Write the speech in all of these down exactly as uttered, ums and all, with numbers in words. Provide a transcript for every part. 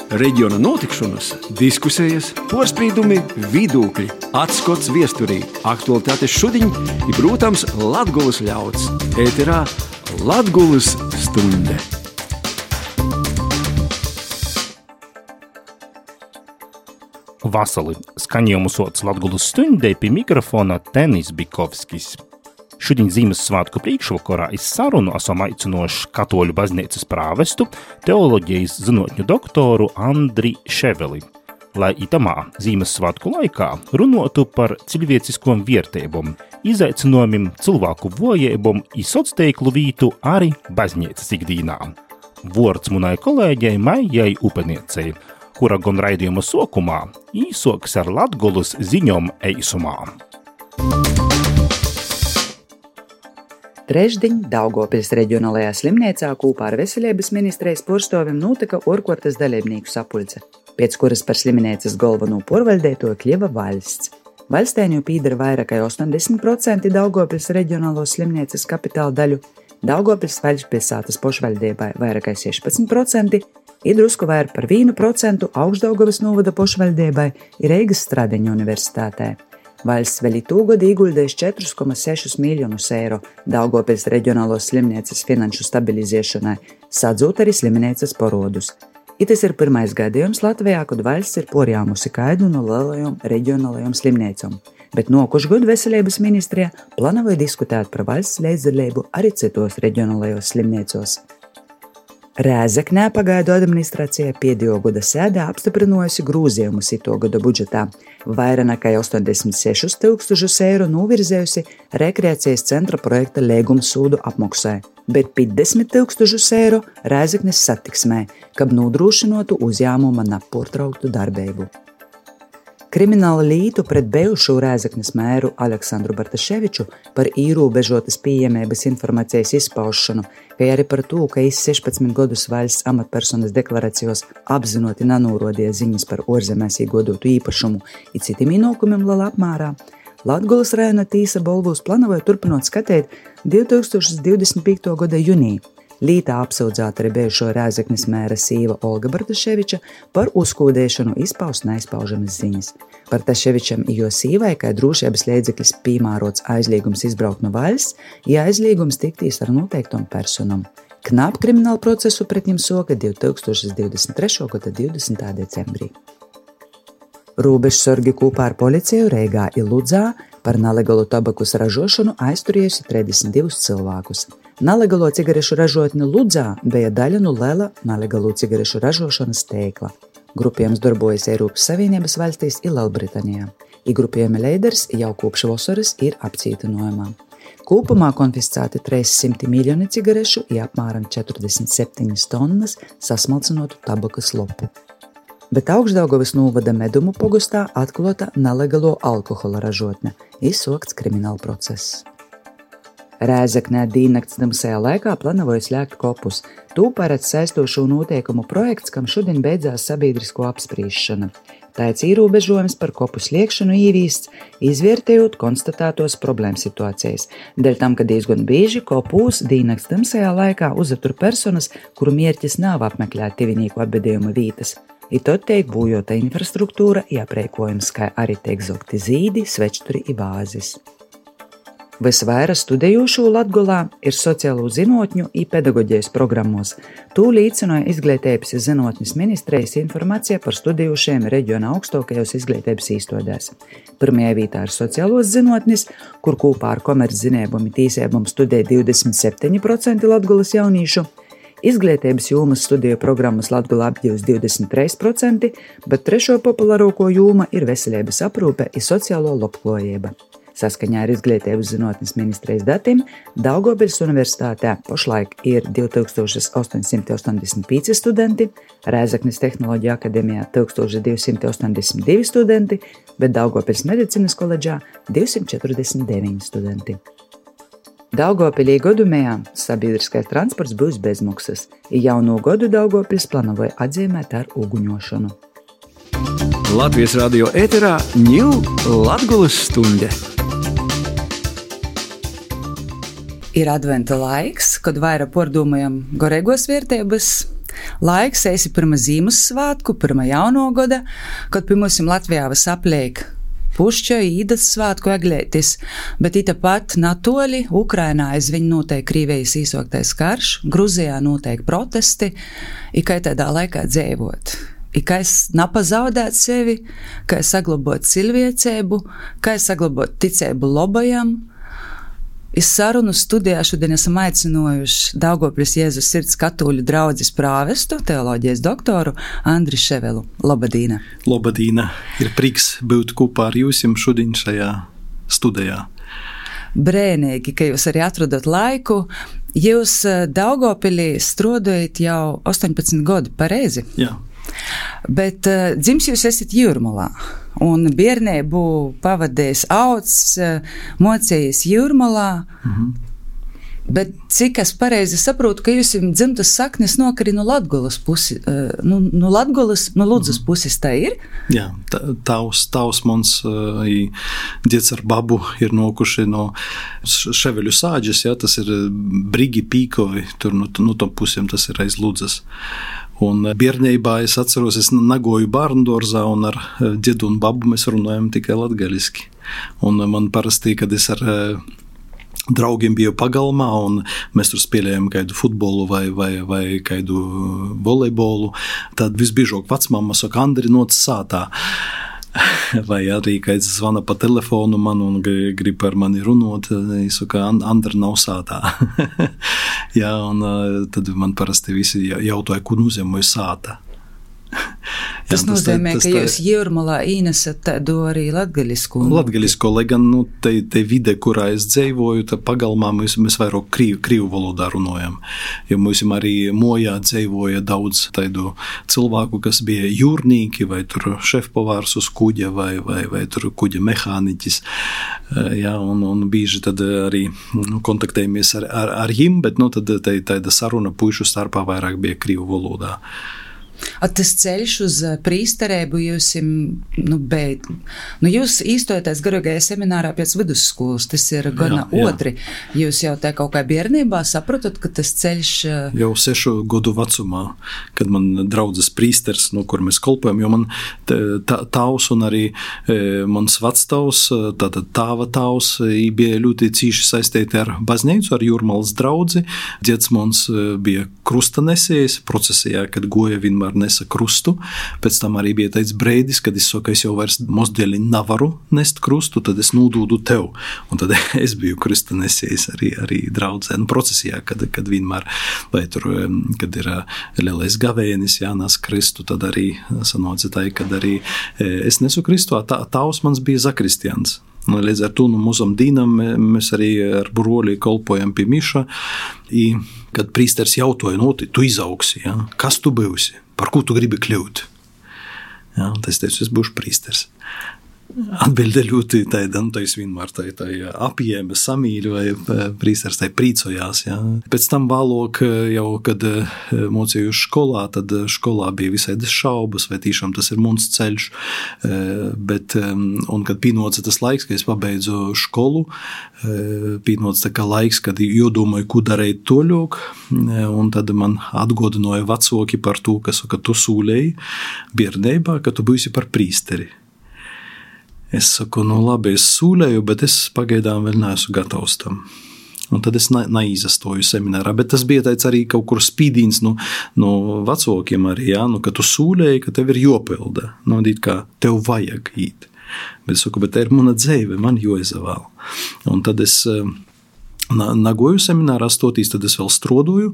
Reģiona notikšanas, diskusijas, porspīdumi, vidūkļi, atskots viesturī, aktualitātes šudiņ i, protams, Latgulas ļauds. Ēterā Latgulas stunde. Vasali skaņojumu sots Latgulas stundē pie mikrofona Tenis Bikovskis. Šodien Zīmessvētku priekšvakarā iz sarunu esam aicinoši Katoļu baznīcas prāvestu, teoloģijas zinotņu doktoru Andri Ševeli, lai itamā Zīmessvētku laikā runotu par cilvēciskom viertībom, izaicinojumiem, cilvēku vojībom i socteiklu vītu arī baznīcas ikdīnā. Vords munai kolēģei Maijai Upeniecei, kura gan raidījuma sokumā īsoks ar Latgulas ziņom eisumā. Trešdiņ Daugavpils reģionālajā slimnīcā kopā ar Veselības ministrijas porstovim notika orkortas dalībnieku sapulce, pēc kuras par slimnīcas galveno porvaldētoju kļuva valsts. Valstēņu pīdara vairāk kā osemdesmit procenti Daugavpils reģionālos slimnīcas kapitāla daļu, Daugavpils vaļšpilsātas pošvaldībai vairāk kā sešpadsmit procenti, i drusku vairāk par vienu procentu Augšdaugavas novada pošvaldībai i Reigas Stradeņu universitātē. Valsts vēl itūgad ieguldījis četri komā seši miljonus eiro Daugavpils reģionālos slimnīcas finanšu stabilizēšanai, sadzūt arī slimnīcas parodus. I tas ir pirmais gadījums Latvijā, kad valsts ir porjāmusi kaidu no lielajām reģionālajām slimnīcām, bet nokušu gadu Veselības ministrijā plānoja diskutēt par valsts līdzdalību arī citos reģionālajos slimnīcos. Rēzeknē pagaidu administrācija pēdējo gada sēdā apstiprinājusi grozījumus ito gada budžetā, vairāk nekā astoņdesmit sešus tūkstošus eiro novirzējusi rekreācijas centra projekta līguma sūdu apmaksai, bet piecdesmit tūkstošus eiro Rēzeknes satiksmē, kad nodrošinotu uzņēmuma nepārtrauktu darbību. Krimināla lītu pret bijušo Rēzeknes mēru Aleksandru Bartaševiču par īrobežotas pieejamības informācijas izpaušanu, kā arī par to, ka iz sešpadsmit gadus valsts amatpersonas deklaracijos apzinoti nanūrodīja ziņas par ārzemēs iegodotu īpašumu i citiem ienākumiem lielā apmērā, Latgulas rajona tīsa balvos plānoja turpinot skatīt divtūkstoš divdesmit piekto gada jūnijā. Lītā apsūdzēta arī bijušo Rēzeknes mēra sīva Olga Bartaševiča par uzkūdēšanu izpaust neizpaužamas ziņas. Bartaševičam i jo sīvai, kā drošības līdzeklis piemērots aizliegums izbraukt no valsts, ja aizliegums tiktīs ar noteiktom personam. Knap kriminālu procesu pret viņam soka divtūkstoš divdesmit trešo gada divdesmitā decembrī. Robežsargi kopā ar policiju Reigā i Ludzā par nelegalu tabakus ražošanu aizturējusi trīsdesmit divus cilvēkus. Nelegalo cigarešu ražotne Ludzā bija daļa no liela nelegalo cigarešu ražošanas tīkla. Grupējums darbojas Eiropas Savienības valstīs i Lielbritānijā. I grupējuma līderis jau kopš vasaras ir apcietinājumā. Kopumā konfiscēti trīssimti miljoni cigarešu i apmēram četrdesmit septiņas tonnas sasmalcinotu tabakas lopu. Bet Augšdaugavas novada Medumu pogastā atklāta nelegalo alkohola ražotne, izsokts krimināla process. Rēzeknē dīnnakts tamsajā laikā plānoja slēgt kopus. To paredz saistošo noteikumu projekts, kam šodien beidzās sabiedrisko apsprīšana. Tāds ierobežojums par kopu sliekšanu īvīsts, izvērtējot konstatētos problēmu situācijas. Dēļ tam, ka diezgan bieži kopūs dīnnakts tamsajā laikā uzatur personas, kuru mierķis nav apmeklēt tuvinieku apbedījuma vītas. I tad tiek būjota infrastruktūra, aprēkojums, kā arī tiek zogti zīdi, svečturi i vāzes. Visvairāk studējošo Latgolā ir sociālo zinotņu i pedagoģijas programmos. Tū līdzinoja Izglītības i zinotņas ministrijas informācija par studējošiem reģiona augstākajos izglītības īstodēs. Pirmajā vietā ir sociālos zinotnis, kur kopā ar komerczinējumu i tīsējumu studē divdesmit septiņi procenti Latgolas jaunīšu. Izglītības jomas studiju programmas Latgolā apģivs divdesmit trīs procenti, bet trešo populārāko joma ir veselības aprūpe i sociālo labklājība. Saskaņā ar Izglītības zinotnes ministrijas datiem Daugavpils universitātē pašlaik ir divi tūkstoši astoņsimt astoņdesmit pieci studenti, Rēzeknes tehnoloģija akadēmijā tūkstoš divi simti astoņdesmit divi studenti, bet Daugavpils medicīnas koledžā divsimt četrdesmit deviņi studenti. Daugavpilī godumējā sabiedriskais transports būs bezmaksas, i jauno godu Daugavpils plānoja atzīmēt ar uguņošanu. Latvijas radio ēterā ņū Latgulas stunde. Ir adventa laiks, kad vairāk pārdomājam garīgos vērtības, laiks esi pirma Zīmussvātku, pirma jaunogoda, kad pie mums Latvijā vas apliek pušķa, īdas svātku eglētis, bet ita pat natoli Ukrainā aizviņ noteikti Krīvijas īsoktais karš, Gruzijā noteikti protesti, i kai tādā laikā dzēvot. I kā es napazaudēt sevi, kā es saglabot cilvēcēbu, kā es saglabot ticēbu lobajam. Es sarunu studijā šodien esam aicinojuši Daugavpils Jēzus sirds katoļu draudzes prāvestu, teoloģijas doktoru Andri Ševelu. Labadīna! Labadīna! Ir prieks būt kopā ar jūsim šodien šajā studijā. Brēnīgi, ka jūs arī atrodot laiku. Jūs Daugavpilī strādājat jau astoņpadsmit gadu, pareizi? Jā. Bet uh, dzims jūs esat Jūrmalā, un bērnību pavadījis auts, uh, mocējis Jūrmalā, mm-hmm. bet cik es pareizi saprotu, ka jūs dzimtas saknes nokari no Latgolas pusi, uh, no, no Latgolas, no Ludzas mm-hmm. puses, tā ir? Jā, tavs, tavs mans uh, dzieds ar babu ir nokuši no Ševeļu sāģes, jā, tas ir Brigi Pīkovi, tur no, no tom pusiem tas ir aiz Ludzas. Un bērnībā es atceros, es nagoju bērndorzā un ar ģedu un babu mēs runājam tikai latgaliski. Un man parasti, kad es ar draugiem biju pagalmā un mēs tur spēlējam kādu futbolu vai, vai, vai kādu volejbolu, tad visbiežāk vecmamma saka, Andri, noc sātā. Vai arī, kad es zvana pa telefonu man un grib ar mani runot, es saku, Andra nav sātā. Jā, un tad man parasti visi jautāja, kur nozīmē sāta. Jā, tas nozīmē, tas, tas, ka jūs Jūrmalā īnesat tādu arī latgaļisko. Latgaļisko, lai gan nu, te, te vide, kurā es dzēvoju, tā pagalmā mēs, mēs vairāk krīvu, krīvu valodā runājam. Jo mums arī mojā dzēvoja daudz tādu cilvēku, kas bija jūrnīki, vai tur šefpavārs uz kuģa, vai, vai, vai tur kuģa mehāniķis. Jā, un, un bīži tad arī nu, kontaktējamies ar, ar, ar jim, bet nu, tad tā, tāda saruna puišu starpā vairāk bija krīvu valodā. A tas ceļš uz prīsterēbu jūs, nu, beid, nu, jūs īstojaties garīgajā seminārā pēc vidusskolas, tas ir gana jā, otri. Jā. Jūs jau tā kaut kā bērnībā sapratat, ka tas ceļš... Jau sešu godu vecumā, kad man draudzes prīsters, no kur mēs kolpojam, jo man tā, tavs un arī e, mans vectavs, tātad tāva tavs, bija ļoti cīši saistīti ar baznīcu, ar Jūrmalas draudzi. Dzieds mans bija krustanesējs procesijā, kad goja vienmēr nesa krustu, pēc tam arī bija teicis breidis, kad es saku, es jau vairs mosdēļi nevaru nest krustu, tad es nūdūdu tev, un tad es biju krustanesējis arī, arī draudzē, nu procesijā, kad, kad vienmēr, vai tur, kad ir lielais gavēnis jānās kristu, tad arī sanāca tā, kad arī es nesu kristu, tā, tavs mans bija zakristians. Līdz ar to no mūsam dīnam mēs arī ar broli kolpojam pie miša, i kad prīsters jautoja, no, tu izaugsi, ja? Kas tu būsi? Par ko tu gribi kļūt? Ja, un es teicu, es būšu prīsters. Atbilde ļoti tāda, nu, tā es vienmēr tā, tā apjēma, samīļu, vai prīsters tā prīcojās. Ja. Pēc tam vēlāk, jau, kad mocīju skolā, tad skolā bija visādas šaubas, vai tiešām tas ir mums ceļš, bet, un kad pīnoca tas laiks, kad es pabeidzu skolu, pīnoca tā kā laiks, kad jodomāju, ko darīt toļok, un tad man atgodināja vecāki par to, ka, ka tu sūlēji bērnībā, ka tu būsi par prīsteri. Es saku, nu labi, es sūlēju, bet es pagaidām vēl neesmu gatavs tam. Un tad es neīzastoju seminārā, bet tas bija tāds arī kaut kur spīdīns no, no vecākiem arī, jā, nu, ka tu sūlēji, ka tev ir jopilda, nu, dīt kā tev vajag īt. Bet es saku, bet tā ir mana dzēve, man joizavēl. Un tad es... Nagoju seminārā stotīs, tad es vēl strodoju,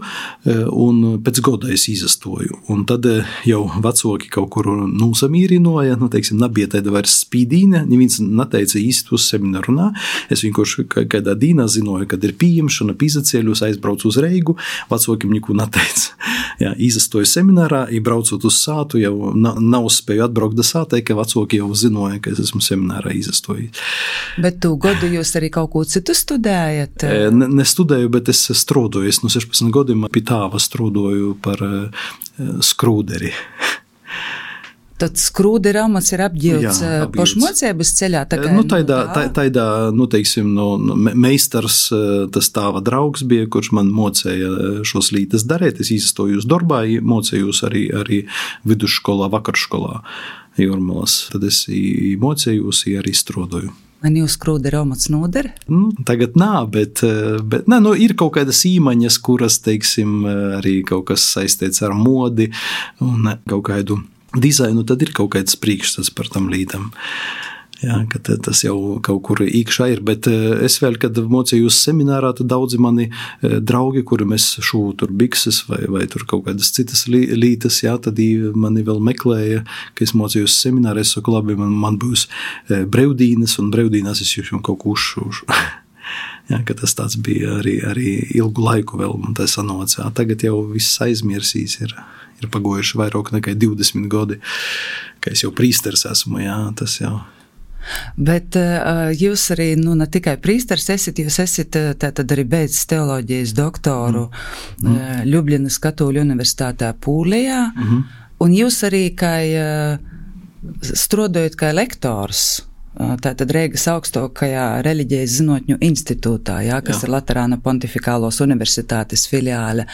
un pēc goda es izastoju. Un tad jau vecāki kaut kur nūsamīrinoja, nu, teiksim, nebija tāda vairs spīdīne, neviens neteica īsti uz semināru runā. Es vienkārši kādā dīnā zinoju, kad ir pieņemšana, pīzacēļus, aizbraucu uz Reigu, vecākiem neko neteica. Jā, izastoju seminārā, braucot uz sātu, jau nav spēju atbraukt da sātai, ka vecāki jau zinoja, ka es esmu seminārā izastojis. Bet tu godu jūs arī kaut ko citu studējat? Ne, nestudēju, bet es strodoju. Es no sešpadsmit gadiem pie tāva strodoju par uh, skrūderi. Tad skrūde ramats ir apģilts pašmocības ceļā? Tā kā, nu, taidā, tā, taidā, nu, teiksim, no, no, meistars, tas tāva draugs bija, kurš man mocēja šos lītas darēt. Es izstojos darbā, mocējos arī, arī vidusskolā, vakarškolā Jūrmalas. Tad es mocējos, arī strodoju. Man jūs skrūde ramats noder? Nu, tagad nā, bet, bet nē, nu, ir kaut kādas īmaņas, kuras, teiksim, arī kaut kas saistīts ar modi un kaut kādu dizainu, tad ir kaut kāds priekšstats par tam lītam. Jā, ka tas jau kaut kur īkšā ir, bet es vēl, kad mocījos seminārā, tad daudzi mani draugi, kuri mēs šūvu tur bikses vai, vai tur kaut kādas citas lītas, jā, tad mani vēl meklēja, ka es mocījos seminārā, es saku, labi, man, man būs brevdīnas, un brevdīnās es jau kaut ko uzšūšu. Jā, ka tas tāds bija arī, arī ilgu laiku vēl, un tā sanocā. Tagad jau viss aizmirsīs ir, ir pagojuši vairāk nekā divdesmit gadi, ka es jau prīsters esmu, jā, tas jau. Bet uh, jūs arī, nu, ne tikai prīsters esat, jūs esat tātad arī beidzis teoloģijas doktoru mm. uh, Ļubljanas Katoļu universitātē Pūlijā, mm-hmm. un jūs arī kā uh, strodojat kā lektors, uh, tātad Reigas augstākajā reliģijas zinotņu institūtā, jā, kas jā. Ir Laterāna Pontifikālos universitātes filiāle.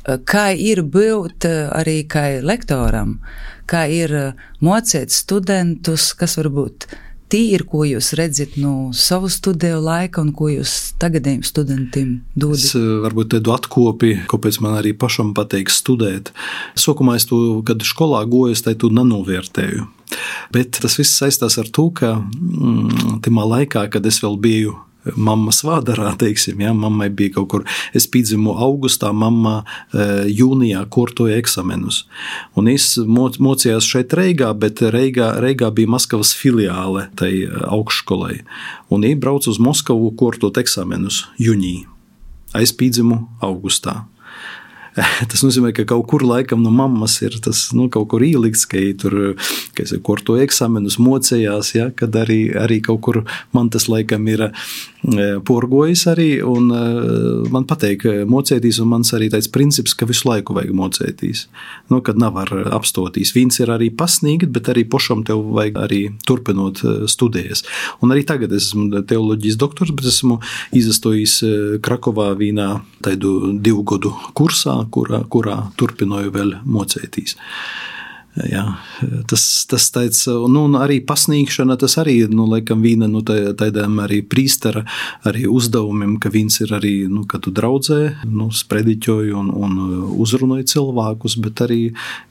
Kā ir būt arī kā lektoram, kā ir mocēt studentus, kas varbūt tī ir, ko jūs redzat no savu studiju laika un ko jūs tagadējiem studentiem dodat? Es varbūt tādu atkopi, kāpēc man arī pašam pateik studēt. Sokumā es to, kad skolā goju, es to nenovērtēju. Bet tas viss saistās ar to, ka mm, timā laikā, kad es vēl biju mammas vādarā, teiksim, jā, mammai bija kaut kur, es pīdzimu augustā, mamma e, jūnijā kortoja eksamenus. Un es moc, mocījās šeit Reigā, bet Reigā, Reigā bija Maskavas filiāle tai augšskolai. Un es braucu uz Moskavu kortot eksamenus jūnī. Es pīdzimu augustā. Tas nozīmē, ka kaut kur laikam no mammas ir tas, nu, kaut kur ielikts, ka tur, ka es korto eksamenus mocējās, ja, kad arī, arī kaut kur man tas laikam ir porgojis arī, un man pateik mocētīs, un mans arī tāds princips, ka visu laiku vajag mocētīs. Nu, kad nav ar apstotīs. Viens ir arī pasnīgt, bet arī pošam tev vajag arī turpinot studējas. Un arī tagad es esmu teoloģijas doktors, bet esmu izastojis Krakovā vīnā taidu divu godu kursā, kurā, kurā turpinoju vēl mocētīs. Jā, tas, tas tāds, nu, arī pasniegšana, tas arī, nu, laikam, vīna, nu, tādām arī prīstara, arī uzdevumiem, ka viens ir arī, nu, kad tu draudzē, nu, sprediķoju un, un uzrunoju cilvēkus, bet arī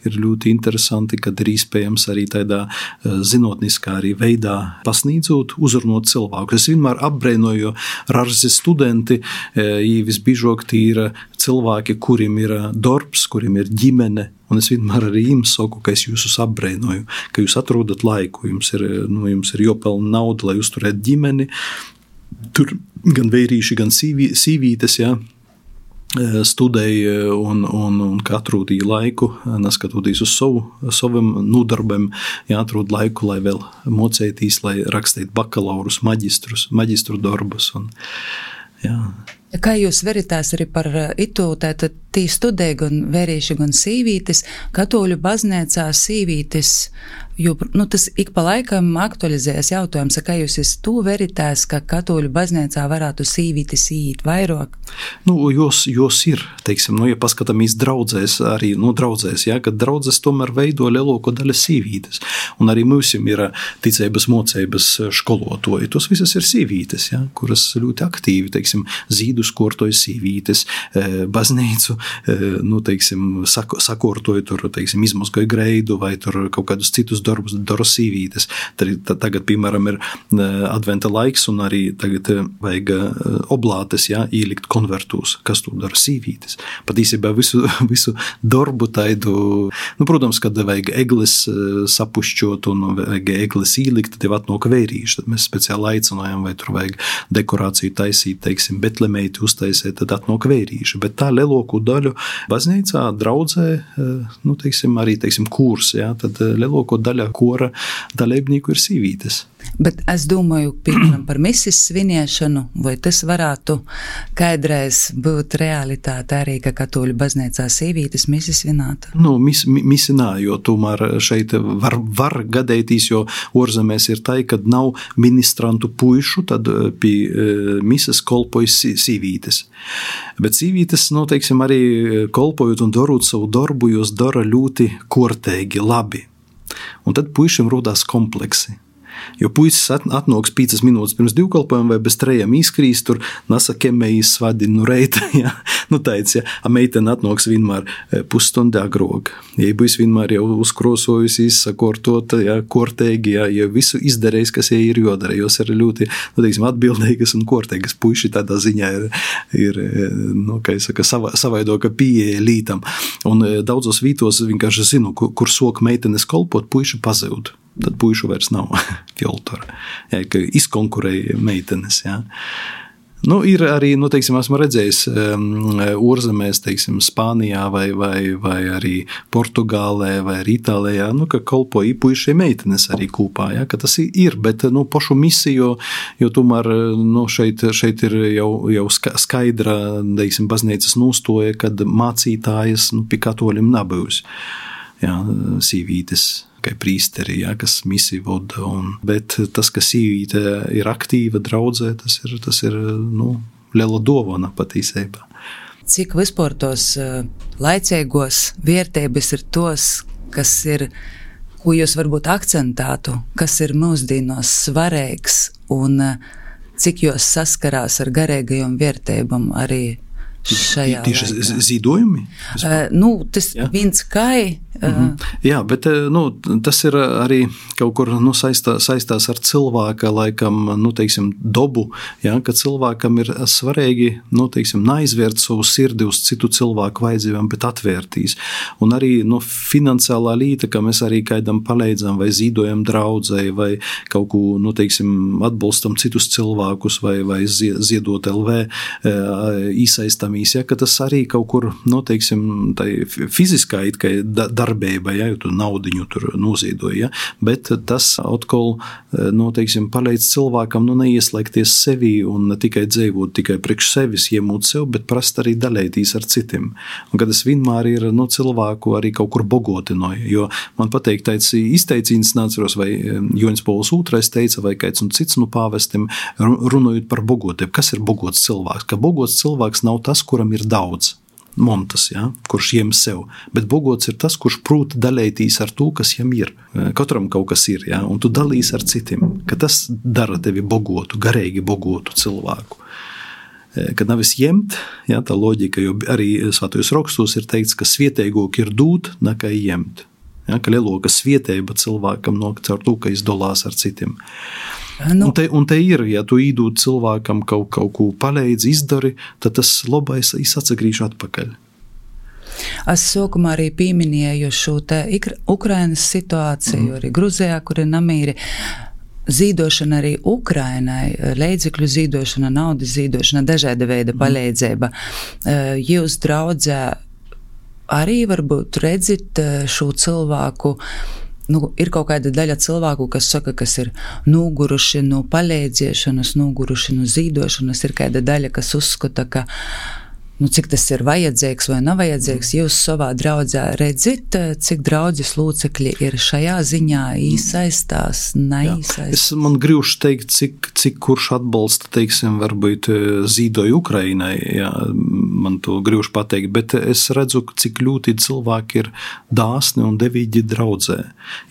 ir ļoti interesanti, kad ir iespējams arī tādā zinotniskā arī veidā pasniedzot, uzrunot cilvēkus. Es vienmēr apbrēnoju rarzi studenti, ja visbiežāk tī ir cilvēki, kuriem ir darbs, kuriem ir ģimene, un es vienmēr arī jums saku, ka es jūs apbrēnoju, ka jūs atrodat laiku, jums ir, nu, jums ir jopelna nauda, lai uzturētu ģimeni, tur gan vērīši, gan sīvī, sīvītes, jā, studēja un, un, un ka atrūtīja laiku, neskatoties uz savu, saviem nodarbiem, jāatrūd laiku, lai vēl mocētīs, lai rakstītu bakalaurus, maģistrus, maģistru darbus. Un, jā. Kā jūs veritās arī par itu, tātad tī studēja gan vērīši, gan sīvītes, Katoļu baznīcā sīvītes, jo, nu, tas ik pa laikam aktualizējas jautājums, kā jūs esat tu veritās, ka Katoļu baznīcā varētu sīvītes īt vairāk? Nu, jos, jos ir, teiksim, nu, ja paskatāmies draudzēs, arī, nu, draudzēs, jā, kad draudzes tomēr veido lielāko daļu sīvītes, un arī mūsim ir ticības mocības školotoji, tos visas ir sīvītes, jā, kuras ļoti aktīvi, teiksim, zīdus kortoja sīvītes, baznīcu, nu, teiksim, sakortoja tur, teiksim, izmazgoja greidu vai tur kaut kādus citus darbus dara sīvītes. Tad, tagad, piemēram, ir adventa laiks un arī tagad vajag oblātes, jā, ielikt konvertūs, kas tur dara sīvītes. Pat īsībā visu, visu darbu taidu, nu, protams, kad vajag eglis sapušķot un vajag eglis ielikt, tad jau atnāk vērīši, tad mēs speciāli aicinājām, vai tur vajag dekorāciju taisīt, teiksim, betlemeiti uztaisīt, tad atnāk vērīši. Bet tā lielāko daļu baznīcā, draudzē, nu, teiksim, arī, teiksim, kurs, jā, tad lielāko daļa kora dalībnieku ir sīvītes. Bet es domāju, piemēram, par misis sviniešanu, vai tas varētu kādreiz būt realitāte arī, ka katoļu baznīcā sīvītes misi svinētu? Nu, mis, misi nā, jo tomēr šeit var, var gadētīs, jo orzemēs ir tai, kad nav ministrantu puišu, tad pie mises kolpojas sīvītes. Bet sīvītes, nu, teiksim, arī kolpojot un darot savu darbu, jūs dara ļoti kortēgi, labi. Un tad puišiem rodās kompleksi. Jo puisis atnāks piecas minūtes pirms divkalpojuma vai bez trejiem izkrīs, tur nasakemējis svadinu nu reita, ja, nu teic, ja, a meitene atnāks vienmēr pusstundi agrāk. Ja būs vienmēr jau uzkrosojusi, sakortot, ja, kortēgi, ja, ja visu izdarējis, kas jai ir jodara, jos ir ļoti, nu teiksim, atbildīgas un kortēgas puiši tādā ziņā ir, ir nu, kā es saka, sava, savaidoka pieeja lītam. Un daudzos vītos vienkārši zinu, kur, kur sok meitenes kolpot, puiši pazūd. Tad puišu vairs nav fjoltora, ja, ka izkonkurēja meitenes, ja. Nu, ir arī, nu, teiksim, esmu redzējis um, orzemēs, teiksim, Spānijā vai, vai, vai arī Portugālē vai arī Itālijā, nu, ka kolpoja puišie meitenes arī kūpā, ja, ka tas ir, bet, nu, pašu misiju, jo tomēr, nu, šeit, šeit ir jau, jau skaidra, teiksim, baznīcas nostoja, kad mācītājas, nu, pie katoļiem nabūs, ja, sīvītes. Kā prīsteri, ja, kas misiju voda, un, bet tas, ka sīvīte ir aktīva draudzē, tas ir, tas ir nu, liela dovana patīsībā. Cik vispār tos laicīgos vērtības ir tos, kas ir, ko jūs varbūt akcentētu, kas ir mūsdienos svarīgs, un cik jūs saskarās ar garīgajām vērtībām arī šajā Tieši zīdojumi? Uh, nu, tas ja? Viens kai. Uh, mm-hmm. Jā, bet nu, tas ir arī kaut kur nu, saistā, saistās ar cilvēka, laikam, nu, teiksim, dobu, ja, ka cilvēkam ir svarīgi, nu, teiksim, neaizvērt savu sirdi uz citu cilvēku vajadzībām, bet atvērtīs. Un arī nu, finansiālā līta, ka mēs arī kaidam palīdzam vai zīdojam draudzei vai kaut ko, nu, teiksim, atbalstam citus cilvēkus vai, vai ziedot L V īsaistam. Ja, ka tas arī kaut kur, nu, teiksim, tai fiziskā it kā darbība, ja, jo tu naudiņu tur noziedoja, ja, bet tas atkal, nu, teiksim, palīdz cilvēkam, nu, neieslēgties sevi un ne tikai dzīvot tikai priekš sevis, iemūt sev, bet prast arī dalētīs ar citiem. Un kad es vienmēr ir, nu, cilvēku arī kaut kur bogotinoju, jo man pateik tāds izteicīns nāceros, vai Joņs Pauls otrais teica, vai kāds un cits, nu, pāvestim, runājot par bogotiem. Kas ir bogots cilvēks? Ka bogots cilvēks nav tas, kuram ir daudz montas, ja, kurš jem sev, bet bogots ir tas, kurš prūt dalētīs ar to, kas jam ir. Katram kaut kas ir, ja, un tu dalīs ar citiem, ka tas dara tevi bogotu, garīgi bogotu cilvēku. Kad nav es jemt, ja, tā loģika, jo arī svētajos rakstos ir teikts, ka svietēgok ir dūt, nekā jemt. Ja, ka lieloka svietēba cilvēkam nok caur to, ka izdolās ar citiem. Nu, un, te, un te ir, ja tu īdūt cilvēkam kaut, kaut ko palīdzi, izdari, tad tas labais atsagrīž atpakaļ. Es sākumā arī pieminēju šo te Ukrainas situāciju, mm. arī Gruzijā, kur ir namīri. Zīdošana arī Ukrainai, līdzekļu zīdošana, naudas zīdošana, dažāda veida mm. palīdzība. Jūs draudzē arī varbūt redzat šo cilvēku. Nu, ir kaut kāda daļa cilvēku, kas saka, kas ir noguruši no palīdziešanas, noguruši no zīdošanas, ir kāda daļa, kas uzskata, ka nu, cik tas ir vajadzīgs vai nav vajadzīgs. Jūs savā draudzē redzat, cik draudzes locekļi ir šajā ziņā iesaistās, neiesaistās? Es man gribšu teikt, cik, cik kurš atbalsta, teiksim, varbūt zīdoju Ukrainai, jā, man to gribšu pateikt, bet es redzu, cik ļoti cilvēki ir dāsni un devīgi draudzē.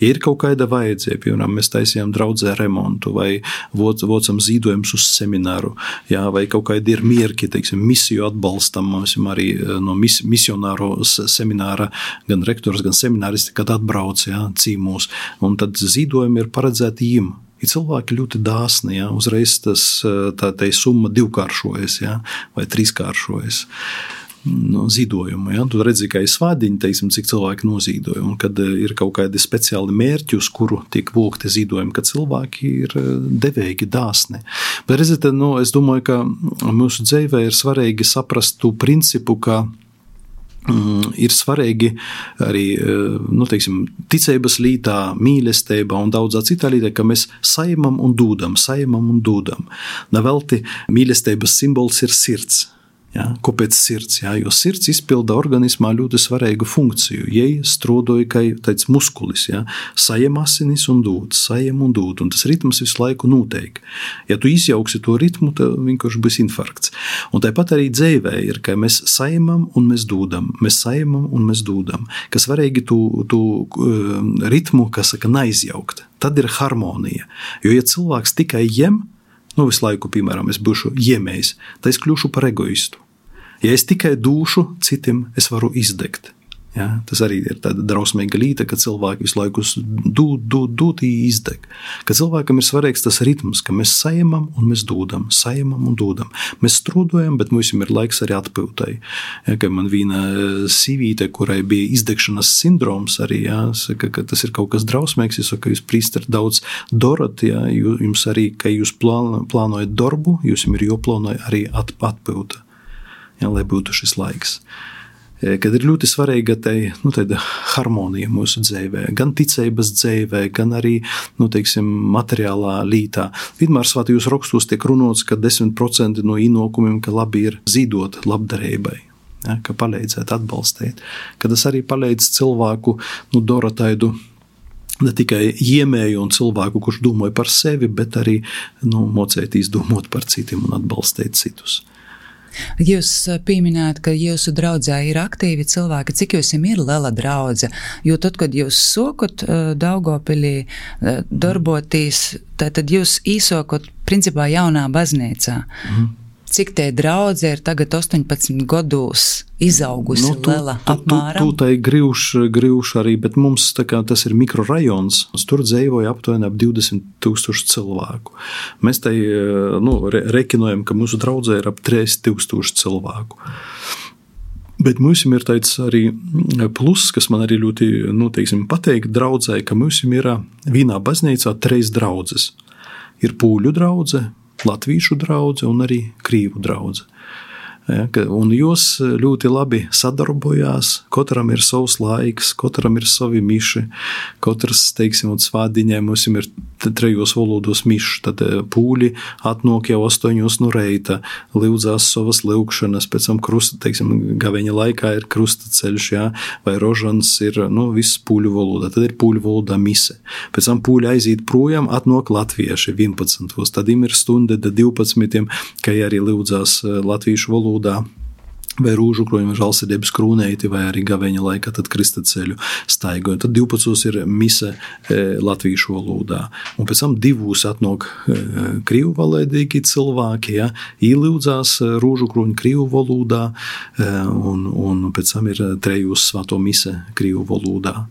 Ja ir kaut kāda vajadzība, piemēram, mēs taisījām draudzē remontu vai vocam zīdojums uz semināru, jā, vai kaut kādi ir mierki, teiksim, misiju atbalstam. Mums arī no mis, misionāro semināra gan rektors, gan semināristi, kad atbrauc, ja, cīmūs, un tad zīdojumi ir paredzēti jim. Ir cilvēki ļoti dāsni, ja, uzreiz tas, tā, tā summa divkāršojas, ja, vai trīskāršojas. No zīdojumu, ja? Tu redzi, ka ir svādiņi, teiksim, cik cilvēki nozīdoja, un kad ir kaut kādi speciāli mērķi, uz kuru tiek vokti zīdojumi, ka cilvēki ir devīgi, dāsni. Bet redziet, nu, es domāju, ka mūsu dzīvē ir svarīgi saprast tu principu, ka ir svarīgi arī, nu, teiksim, ticības lītā, mīlestībā un daudzā citā lītā, ka mēs saimam un dūdam, saimam un dūdam. Nevelti mīlestības simbols ir sirds. Ja, kāpēc sirds? Ja, jo sirds izpilda organismā ļoti svarīgu funkciju. Jai strādoja kā tāds muskulis. Ja, sajam asinis un dūd, sajam un dūd. Un tas ritms visu laiku notiek. Ja tu izjauksi to ritmu, tad vienkārši būs infarkts. Un tāpat arī dzīvē ir, ka mēs sajamam un mēs dūdam. Mēs sajamam un mēs dūdam. Kas svarīgi tu, tu uh, ritmu, kas saka, neizjaukt. Tad ir harmonija. Jo ja cilvēks tikai jem, nu, visu laiku, piemēram, es būšu iemējis, tad es kļūšu par egoistu. Ja es tikai dūšu citim, es varu izdegt. Ja, tas arī ir tāda drausmīga līta, ka cilvēki visu laiku dūd, dūd, dūd, izdeg. Ka cilvēkam ir svarīgs tas ritms, ka mēs sajamam un mēs dūdam, sajamam un dūdam. Mēs strūdojam, bet mums ir laiks arī atpiltai. Ja, ka man viena sīvīte, kurai bija izdegšanas sindroms arī, ja, saka, ka tas ir kaut kas drausmīgs, es saku, jūs prīstari daudz dorat, ja, jums arī, ka jūs plāno, plānojat darbu, jūs jums ir joplānoja arī at, atpilta, ja, lai būtu šis laiks. Kad ir ļoti svarīga tai, nu, tāda harmonija mūsu dzīvē, gan ticības dzīvē, gan arī, nu, teiksim, materiālā lītā. Vienmēr svētajos rakstos tiek runāts, ka desmit procenti no ienākumiem, ka labi ir zīdot labdarībai, ja, ka palīdzēt, atbalstīt, ka tas arī palīdz cilvēku, nu, dara tādu ne tikai iemēju un cilvēku, kurš domāja par sevi, bet arī, nu, mocēt izdomot par citiem un atbalstīt citus. Jūs pieminējat, ka jūsu draudzē ir aktīvi cilvēki. Cik jūs ir liela draudze? Jo tad, kad jūs sokot Daugavpilī darboties, tad jūs īsokot principā jaunā baznīcā. Mm. Cik tie draudze ir tagad astoņpadsmit gados izaugusi, nu, tu, liela tu, apmēram? Tu, tu tai grivš, grivš arī, bet mums tā kā tas ir mikrorajons. Tur dzīvoja aptuveni ap divdesmit tūkstoši cilvēku. Mēs tai, nu, re, rekinojam, ka mūsu draudzē ir ap trīsdesmit tūkstoši cilvēku. Bet mums ir tāds arī plus, kas man arī ļoti, nu, teiksim, pateikt draudzē, ka mums ir vienā baznīcā trīs draudzes. Ir pūļu draudze, latvīšu draudze un arī krīvu draudze. Ja, un jūs ļoti labi sadarbojās, katram ir savs laiks, katram ir savi miši, katrs, teiksim, un svādiņai mums ir trejos valodos miši, tad pūļi atnāk jau astoņos no reita, lūdzās savas lūkšanas, pēc tam krusta, teiksim, gaveņa laikā ir krustaceļš, ja, vai rožans ir, nu, viss pūļu valodā, tad ir pūļu valodā mise. Pēc tam pūļi aiziet projām, atnāk latvieši vienpadsmitos, tad im ir stunda da divpadsmitiem, ka arī lūdzās latviešu valodā, vai rūžu kroņu žalsirdības krūneiti, vai arī gaveņa laikā, tad kristaceļu staigoja. Tad divpadsmitos ir mise e, latvīšu valodā. Un pēc tam divūs atnāk e, krīvu valodīgi cilvēki, ja, īlūdzās rūžu kroņu krīvu valodā, e, un, un pēc tam ir trejūs svēto mise krīvu valodā.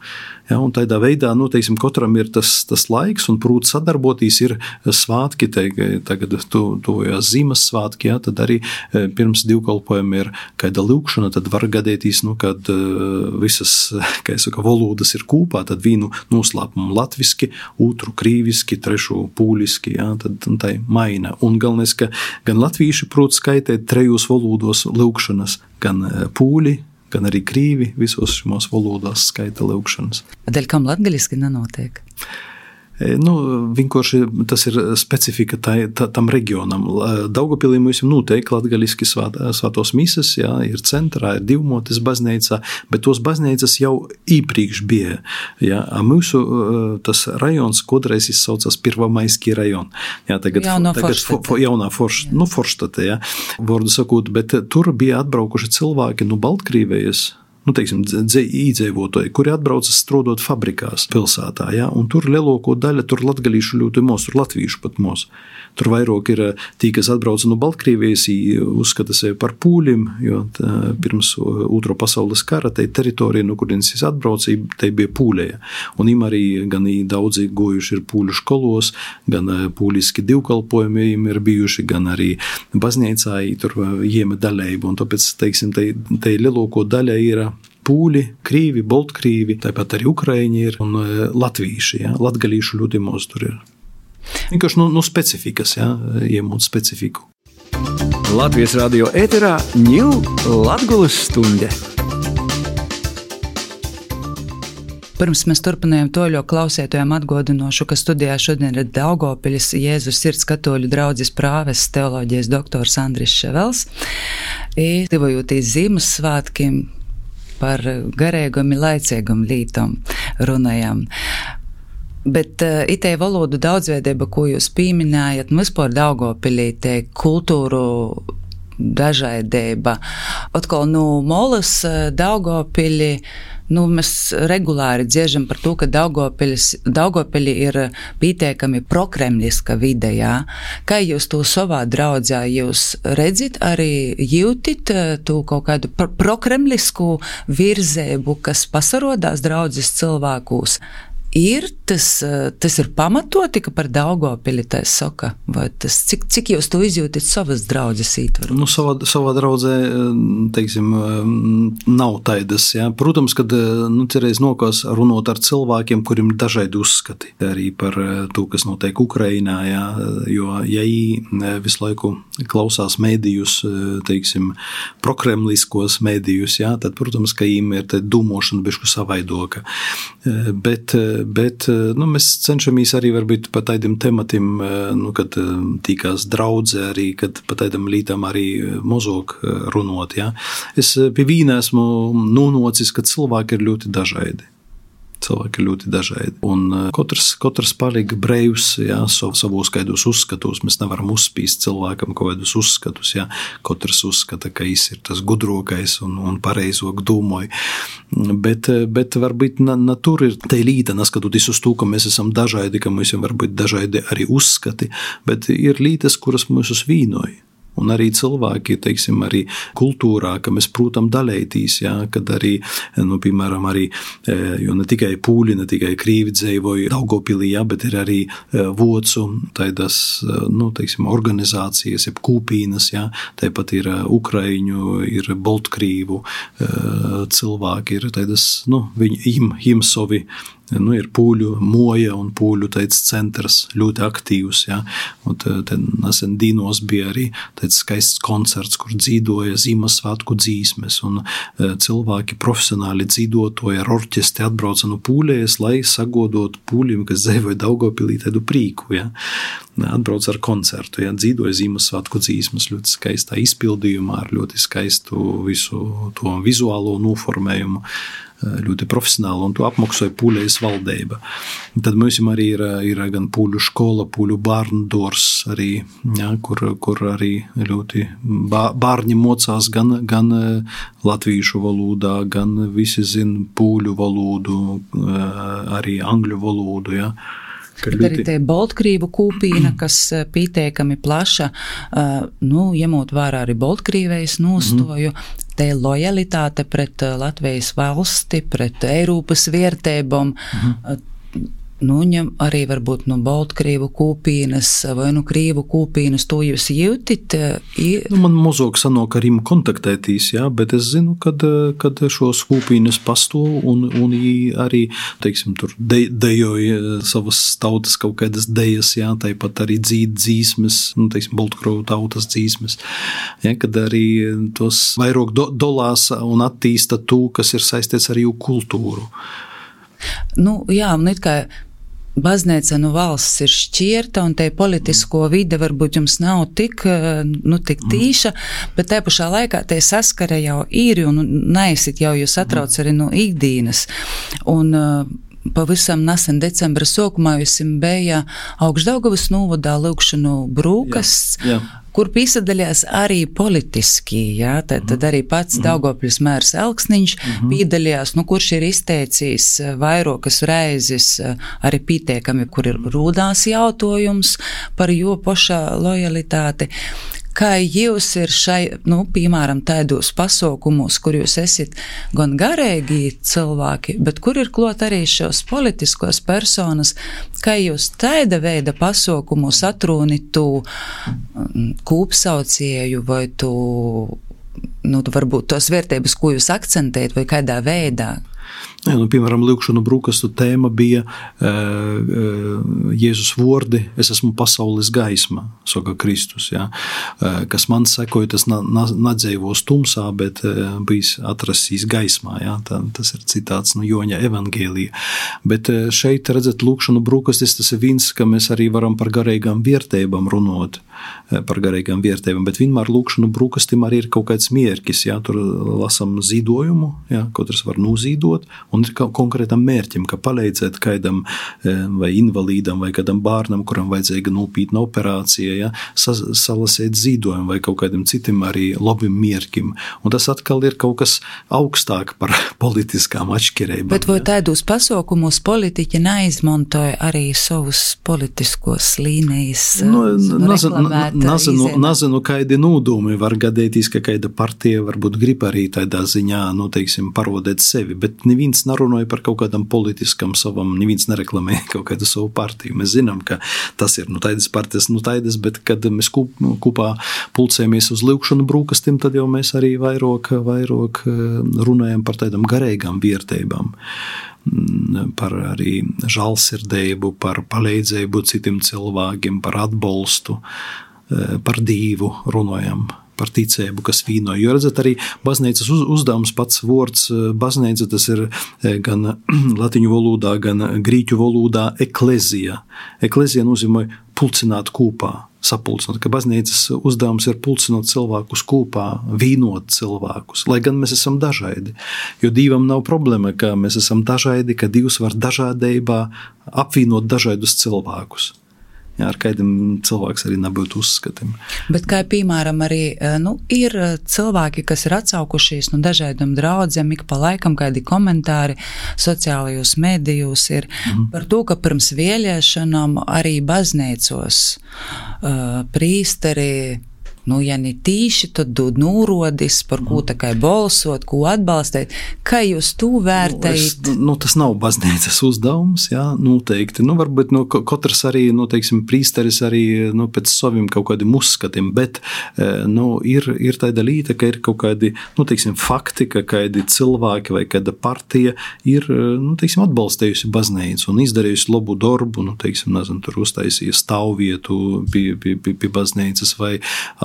Ja, un tādā veidā, nu, teiksim, katram ir tas, tas laiks, un prūt sadarboties ir svātki, teik, tagad tu, tuvojās zīmes svātki, ja, tad arī pirms divkalpojumi ir kāda lūkšana, tad var gadēties, nu, kad uh, visas, kā es saku, valodas ir kūpā, tad vīnu noslēpumu latviski, otru krīviski, trešu pūliski, ja, tad tai maina. Un galvenais, ka gan latvīši prūt skaitēt trejos valodos lūkšanas, gan pūļi, gan arī krīvi visos šimos valodās skaita lūkšanas. Dēļ kam latgaliski nenotiek? Nu, vienkārši tas ir specifika tai, ta, tam reģionam. Daugavpilī mums ir noteikti latgaliski svāt, svētos mises, jā, ir centrā, ir divmotes baznīcā, bet tos baznīcas jau īpriekš bija. Jā, mūsu tas rajons kodreiz izsaucas Pirvamaiskī rajon. Jā, tagad, Jauno tagad Forštate. For, jaunā forš, nu, Forštate, jā, vārdu sakot, bet tur bija atbraukuši cilvēki no Baltkrīvijas, nu, teiksim, īdzēvotoji, kuri atbraucas strādāt fabrikās pilsētā, ja, un tur lielāko daļu, tur latgalīšu ļoti mos, tur latvīšu pat mos. Tur vairāk ir tī, kas atbrauca no Baltkrievijas, uzskata sevi par pūļiem, jo tā, pirms Otro pasaules kara tai teritorija, no kurienes es atbrauca, tai bija pūļēja. Un im arī gan daudzi gojuši ir pūļu školos, gan pūļiski divkalpojumi im ir bijuši, gan arī baznīcā tur jieme daļēba, un tāpēc, teiksim, tai, tai lielāko daļa ir pūļi, krīvi, boltkrīvi, tāpat arī ukraiņi ir un latvīši, ja, latgalīšu ļoti maz tur ir. Vienkārši no, no specifikas, ja, iemūt specifiku. Latvijas radio ēterā ņū Latgulas stunde. Pirms mēs turpinājām to, jo klausētojām atgādinošu, ka studijā šodien ir Daugopiļas Jēzus Sirds katoļu draudzes prāvests teoloģijas doktors Andris Ševels. I tivojūtīs Zīmessvātkim par garēgam i laicēgam lītom runājam. Bet uh, itei valodu daudzveidība, ko jūs pīminājat, nu vispār Daugavpilī te kultūru dažaidība. Atkal, nu, Molas Daugavpilī, nu, mēs regulāri dziežam par to, ka Daugavpilī ir pīteikami prokremliska vide, jā. Kā jūs to savā draudzē jūs redzit, arī jūtit to kaut kādu pro- prokremlisku virzēbu, kas pasarodās draudzes cilvēkūs? Ir tas, tas ir pamatoti, ka par Daugavpili tā saka, vai tas, cik, cik jūs to izjūtat savas draudzes ītvaru? Nu, savā, savā draudzē, teiksim, nav taidas, jā. Protams, kad, nu, cerēs nokās runot ar cilvēkiem, kuriem dažādi uzskati arī par to, kas notiek Ukrainā, jā, jo, ja ī visu laiku klausās mēdījus, teiksim, prokremliskos mēdījus, jā, tad, protams, ka īm ir te dūmošana bišku savaidoka. Bet Bet nu, mēs cenšamies arī varbūt par tādiem tematiem, nu, kad tīkās draudze arī, kad par tādiem lītām arī mozog runot. Ja? Es pie vīna esmu nūnocis, ka cilvēki ir ļoti dažādi. Cilvēki ir ļoti dažādi. Un katrs, katrs palika breivs, jā, savos kaidos uzskatos. Mēs nevaram uzspīst cilvēkam kaut kādus uzskatus, jā. Katrs uzskata, ka viņš ir tas gudrokais un, un pareizok dūmoju. Bet, bet varbūt na, na tur ir te līta, neskatoties uz to, ka mēs esam dažādi, ka mums ir varbūt dažādi arī uzskati, bet ir lītas, kuras mūs uzvīnoja. Un arī cilvēki, teiksim, arī kultūrā, ka mēs, prūtam, dalētīs, jā, kad arī, nu, piemēram, arī, jo ne tikai pūļi, ne tikai krīvi dzeivoja Daugavpilī, jā, bet ir arī vocu, taidas, nu, teiksim, organizācijas, jeb kūpīnas, jā, tāpat ir ukraiņu, ir boltkrīvu cilvēki, ir taidas, nu, viņi, im, im sovi, nu, ir pūļu moja un pūļu teic centrs ļoti aktīvs, ja, un te nesen Dīnos bija arī teic skaists koncerts, kur dzīdoja Zīmessvātku dzīsmes, un cilvēki profesionāli dzīdotoja ar orķestri atbrauca no pūļējas, lai sagodot pūļiem, kas dzeivoja Daugavpilī tādu prīku, ja, atbrauca ar koncertu, ja, dzīdoja Zīmessvātku dzīsmes ļoti skaistā izpildījumā, ar ļoti skaistu visu to vizuālo noformējumu, ļoti profesionāli, un to apmaksoja pūļējas valdība. Tad mums arī ir, ir gan pūļu škola, pūļu bārnu dors arī, ja, kur, kur arī ļoti bārņi mocās gan, gan latvīšu valodā, gan visi zin pūļu valodu, arī angļu valodu, ja. Bet ļoti... arī te Boltkrīvu kūpīna, kas pīteikami plaša, nu, ņemot vērā arī Boltkrīvejas nostoju, mm. te lojalitāte pret Latvijas valsti, pret Eiropas vērtībām, mm. nu, ņem arī varbūt no Boltkrīvu kūpīnas vai no Krīvu kūpīnas, to jūs jūtit? I... Nu, man mozog sanok ar viņu kontaktētīs, jā, bet es zinu, kad, kad šos kūpīnas pastov un, un arī, teiksim, tur de, dejoja savas tautas kaut kādas dejas, jā, tāpat arī dzīt dzīsmes, nu, teiksim, Boltkrovu tautas dzīsmes, jā, kad arī tos vairāk do, dolās un attīsta to, kas ir saistīts ar jū kultūru. Nu, jā, un it kā baznīca no valsts ir šķirta, un te politisko vide varbūt jums nav tik, nu, tik tīša, bet te pašā laikā te saskara jau īri, un neesit jau jūs atrauc arī no ikdienas. Un pavisam nesen decembra sākumā jums bija Augšdaugavas novadā lūgšanu brūkasts, jā, jā. Kur piesaistījās arī politiski, jā, tad, tad arī pats mm-hmm. Daugavpils mērs Elksniņš mm-hmm. piedalījās, nu, kurš ir izteicis vairākas reizes arī pieteikami, kur ir rūdās jautājums par jo pošā lojalitāti. Kā jūs ir šai, nu, piemēram, tādos pasaukumos, kur jūs esat gan garīgi cilvēki, bet kur ir klot arī šos politiskos personas, kā jūs tāda veida pasaukumus atrūni tu kūpsaucēju vai tu, nu, varbūt tos vērtības, ko jūs akcentējat vai kādā veidā? Jā, nu, piemēram, lūkšanu brūkastu tēma bija uh, Jēzus vordi, es esmu pasaules gaisma, saka Kristus, jā. Uh, kas man sekoja, tas na, na, nadzēvos tumsā, bet uh, bijis atrasīs gaismā, jā. Tā, tas ir citāts no Joņa evangēlija. Bet uh, šeit, redzat, lūkšanu brūkastis, tas ir viens, ka mēs arī varam par garīgām vērtībām runot, uh, par garīgām vērtībām, bet vienmēr lūkšanu brūkastim arī ir kaut kāds mierkis, jā. Tur lasam zīdojumu, jā, katrs var nūzīdot, un ir konkrētam mērķim, ka palīdzēt kaidam vai invalīdam vai kādam bārnam, kuram vajadzīga nūpītna operācija, ja, salasēt zīdojumu vai kaut kādam citam arī labim mērķim. Un tas atkal ir kaut kas augstāk par politiskām atšķirībām. Bet vai tādus pasaukumus politiķi neizmantoja arī savus politiskos līnijas nu, nazinu, nazinu, nazinu, kaidi nūdumi var gadētīs, ka kaida partija varbūt grib arī tādā ziņā, nu, teiksim, parodēt sevi, bet neviens narunāja par kaut kādam politiskam savam, neviens nereklamēja kaut kādu savu partiju. Mēs zinām, ka tas ir, nu, taidas partijas, nu, taidas, bet kad mēs kup, kupā pulcējamies uz lūkšanu brūkastim, tad jau mēs arī vairāk, vairāk runājam par tādām garīgām vērtībām, par arī žalsirdību, par palīdzību citiem cilvēkiem, par atbalstu, par Dievu runājam, par ticību, kas vīnoja. Jo redzat, arī baznīcas uz, uzdevums pats vārds baznīca, tas ir gan latiņu valodā, gan grīķu valodā eklezija. Eklezija nozīmē pulcināt kopā, sapulcināt, ka baznīcas uzdevums ir pulcināt cilvēkus kopā, vīnot cilvēkus, lai gan mēs esam dažādi. Jo Dievam nav problēma, ka mēs esam dažādi, ka Dievs var dažādībā apvienot dažādus cilvēkus. Jā, ar kādiem cilvēks arī nebūtu uzskatiem. Bet kā piemēram arī, nu, ir cilvēki, kas ir atsaukušies no dažādiem draudzēm, ik pa laikam kādi komentāri sociālajos medijos ir mm. par to, ka pirms vēlēšanām arī baznīcos uh, prīsteri, nu, ja ne tīši, tad dod nūrodis, par ko tā kā balsot, ko atbalstēt. Kā jūs to vērtējat? Nu, es, nu, tas nav baznīcas uzdevums, jā, noteikti. Nu, varbūt, nu, katrs arī, nu, teiksim, prīsteris arī, nu, pēc saviem kaut kādiem uzskatiem, bet, nu, ir, ir tāda līta, ka ir kaut kādi, nu, teiksim, fakti, ka kādi cilvēki vai kāda partija ir, nu, teiksim, atbalstējusi baznīcu un izdarījusi labu darbu, nu, teiksim, nezinu, tur uztaisīja stāvvietu pie, pie, pie, pie baznīcas vai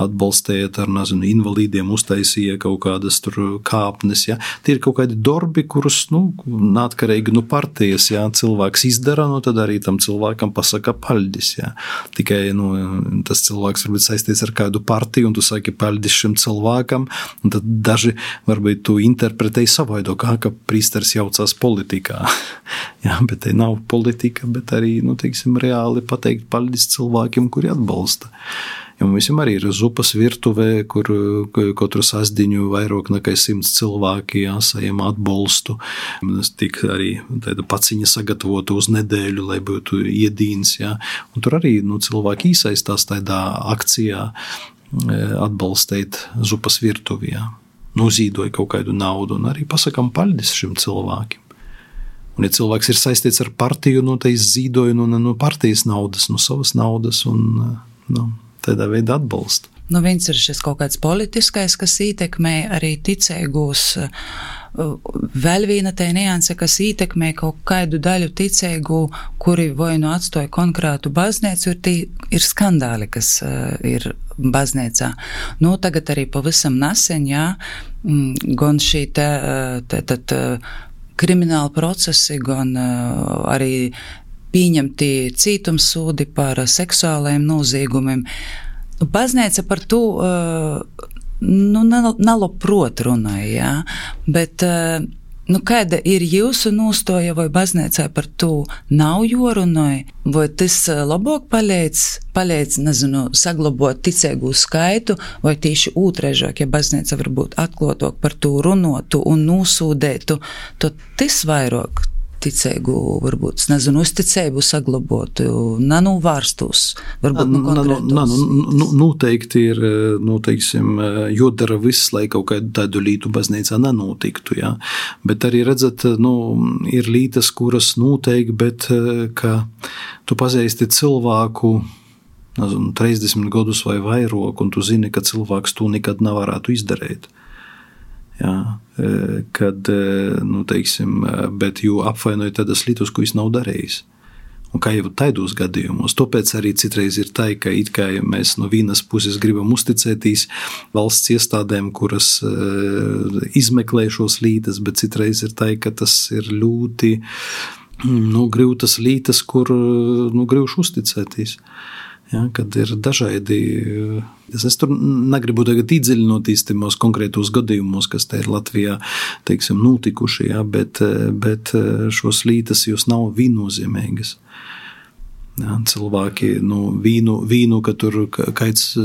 atbalstējot ar, nezinu, invalīdiem uztaisīja kaut kādas tur kāpnes, ja. Tie ir kaut kādi darbi, kurus, nu, neatkarīgi no partijas, ja, cilvēks izdara, nu, tad arī tam cilvēkam pasaka paļdis, ja. Tikai, nu, tas cilvēks varbūt saistīts ar kādu partiju, un tu saki paļdis šim cilvēkam, un tad daži varbūt tu interpretēji savaidok, kā, ka prīsteris jaucās politikā. Ja, bet te nav politika, bet arī, nu, teiksim, reāli pateikt paļdis cilvēkiem, kuri atbalsta. Jo mums arī ir zupas virtuvē, kur katru sasdiņu vairāk nekā simts cilvēki jāsajam atbalstu. Tas tik arī tāda paciņa sagatavota uz nedēļu, lai būtu iedīns. Ja. Un tur arī, nu, cilvēki iesaistās tādā akcijā atbalstīt zupas virtuvi. Ja. Nozīdoja kaut kādu naudu un arī pasakam paļdis šim cilvēkiem. Un, ja cilvēks ir saistīts ar partiju, nu, tā izzīdoja no, no partijas naudas, no savas naudas un, nu, tādā veidā atbalsta. Nu, viens ir šis kaut kāds politiskais, kas ietekmē arī ticīgos. Vēl viena tā nianse, kas ietekmē kaut kādu daļu ticīgu, kuri vai nu atstoja konkrētu baznīcu, ir, tī, ir skandāli, kas uh, ir baznīcā. Nu, tagad arī pavisam nesen, jā, gan šī te, te, te, te krimināla procesi, gan uh, arī pieņemti cietumsūdi par seksuālajiem noziegumiem. Baznīca par to uh, nu, nalabprot runāja, jā, bet uh, nu, kāda ir jūsu nostāja, vai baznīcā par to nav jorunāja, vai tas labāk palīdz, palīdz, nezinu, saglabot ticīgu skaitu, vai tieši otraižāk, ja baznīca varbūt atklātok par to runotu un nosūdētu, tad tas vairāk ticīgu, varbūt, nezinu, uzticību saglabotu, nanuvārstus, varbūt, nu, konkrētos. Nu, noteikti ir, nu, teiksim, jodara viss, lai kaut kādu tādu lītu baznīcā nenotiktu, jā. Bet arī, redzat, nu, ir lītas, kuras noteikti, bet, ka tu pazīsti cilvēku, nezinu, trīsdesmit gadus vai vairāk, un tu zini, ka cilvēks to nekad nevarētu izdarīt. Jā, kad, nu, teiksim, bet jū apvainoja tādas lietas, ko viņš nav darījis. Un kā jau taidos gadījumos, tāpēc arī citreiz ir tā, ka it kā mēs no vienas puses gribam uzticēties valsts iestādēm, kuras uh, izmeklē šos lietas, bet citreiz ir tā, ka tas ir ļoti nu, grūtas lietas, kur nu, grūši uzticēties. Ja, kad ir dažādi, es tur negribu tagad iedziļinoties timos konkrētos gadījumos, kas te ir Latvijā, teiksim, notikuši, ja, bet, bet šos lietas jūs nav viennozīmīgas. Ja, cilvēki, nu, vīnu, vīnu, ka tur kāds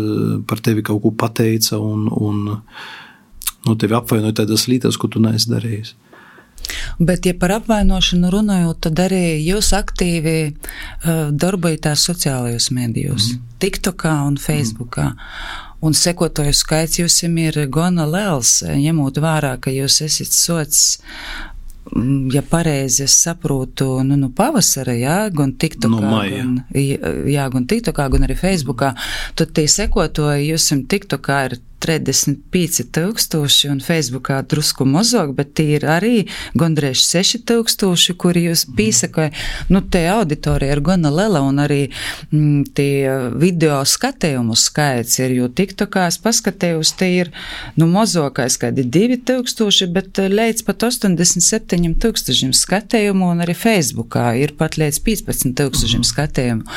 par tevi kaut ko pateica un, un nu, tevi apvainoja tādas lietas, ko tu neesi darījis. Bet, ja par apvainošanu runājot, tad arī jūs aktīvi uh, darbojatās sociālajos medijos, mm. TikTokā un Facebookā. Mm. Un sekotoju skaits jums ir gana liels, ņemot vērā, ka jūs esat sots, ja pareizi es saprotu, nu, nu pavasara, jā, gan TikTokā, no maija. Gan, jā, gan TikTokā, gan arī Facebookā, tad tie sekotoji jums TikTokā ir trīsdesmit pieci tūkstoši un Facebookā drusku mazāk, bet tie ir arī gandrīz seši tūkstoši, kuri jūs pīsakoja. Nu, te auditorija ir gana liela un arī m, tie video skatījumu skaits ir, jo TikTokā es paskatījos, te ir, nu, mazākais kādi divi tūkstoši, bet līdz pat astoņdesmit septiņiem tūkstošiem skatījumu un arī Facebookā ir pat līdz piecpadsmit tūkstošiem skatījumu.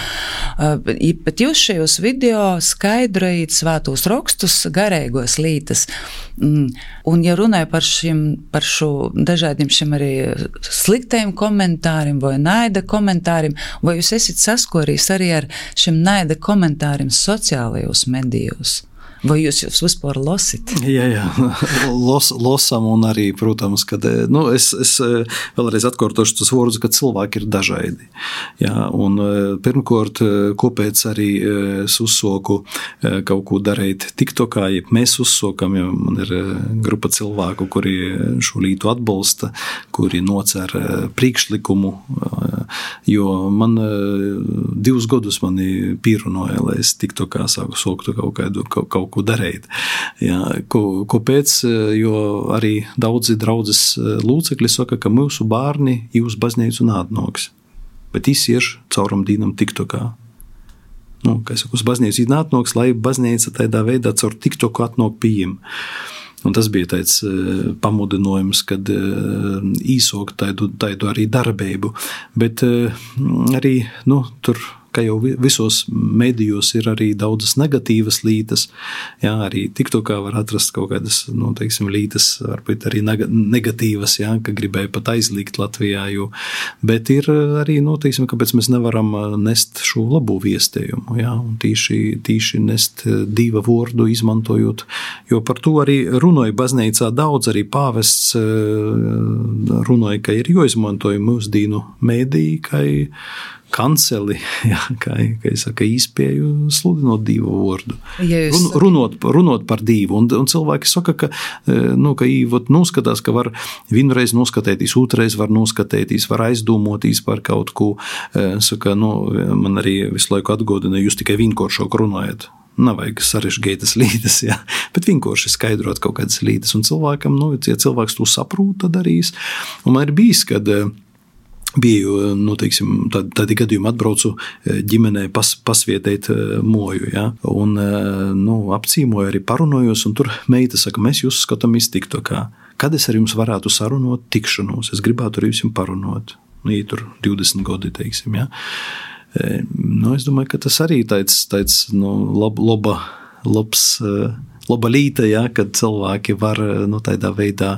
Uh, bet jūs šajos video skaidrojat svētos rakstus, garīgos lītas. Un ja runāju par šim, par šo dažādiem šiem arī sliktajiem komentāriem vai naida komentāriem, vai jūs esat saskorījis arī ar šiem naida komentāriem sociālajos medijos? Vai jūs jūs vispār losit? Jā, jā, Los, losam un arī, protams, kad, nu, es, es vēlreiz atkārtošu tos vārdus, ka cilvēki ir dažādi. Jā, un pirmkārt, kāpēc arī es uzsoku kaut ko darīt TikTokā, ja mēs uzsokam, jo man ir grupa cilvēku, kuri šo lietu atbalsta, kuri nocer priekšlikumu, jo man divus gadus mani pīrunoja, lai es TikTokā sāku soktu kaut kādu, kaut, kaut ko darīt. Jā, ko, kāpēc? Jo arī daudzi draudzes lūcekļi saka, ka mūsu bārni jūs baznīcu nātnoks, bet jis ir cauram dīnam TikTokā. Nu, kā es saku, uz baznīcu nātnoks, lai baznīca tādā veidā caur TikToku atnok pieejam. Un tas bija tāds pamudinājums, kad īsok tādu, tādu arī darbību, bet arī, nu, tur ka jau visos medijos ir arī daudzas negatīvas lītas, jā, arī TikTokā var atrast kaut kādas, nu, teiksim, lītas, varbūt arī negatīvas, jā, ka gribēja pat aizliegt Latvijā, jo, bet ir arī, nu, teiksim, kāpēc mēs nevaram nest šo labu viestējumu, jā, un tīši, tīši nest divu vārdu izmantojot, jo par to arī runāja baznīcā daudz, arī pāvests runāja, ka ir jāizmantoja mūsdīnu mediji, ka kanceli, jā, kā, kā es saku, īspēju sludinot divu vārdu. Ja Run, runot, runot par divu. Un, un cilvēki saka, ka, nu, ka īvot noskatās, ka var vienreiz noskatētīs, otrais var noskatētīs, var aizdomotīs par kaut ko. Saka, nu, man arī visu laiku atgodina, jūs tikai vienkāršāk runājat. Nav vajag sarežģītas lītas, jā, bet vienkārši skaidrot kaut kādas lītas. Un cilvēkam, nu, ja cilvēks to saprūt, tad darīs. Un man ir bijis, kad biju, nu, teiksim, tādi, tādi gadījumi atbraucu ģimenei pas, pasvietēt moju, ja, un, nu, apcīmoju arī parunojos, un tur meita saka, mēs jūs skatāmies TikTokā. Kad es ar jums varētu sarunot tikšanos? Es gribētu ar jums parunot. Nu, ja tur divdesmit gadi, teiksim, ja. Nu, es domāju, ka tas arī tāds, tāds, nu, lab, laba, labs, laba līta, ja, kad cilvēki var, nu, tādā veidā,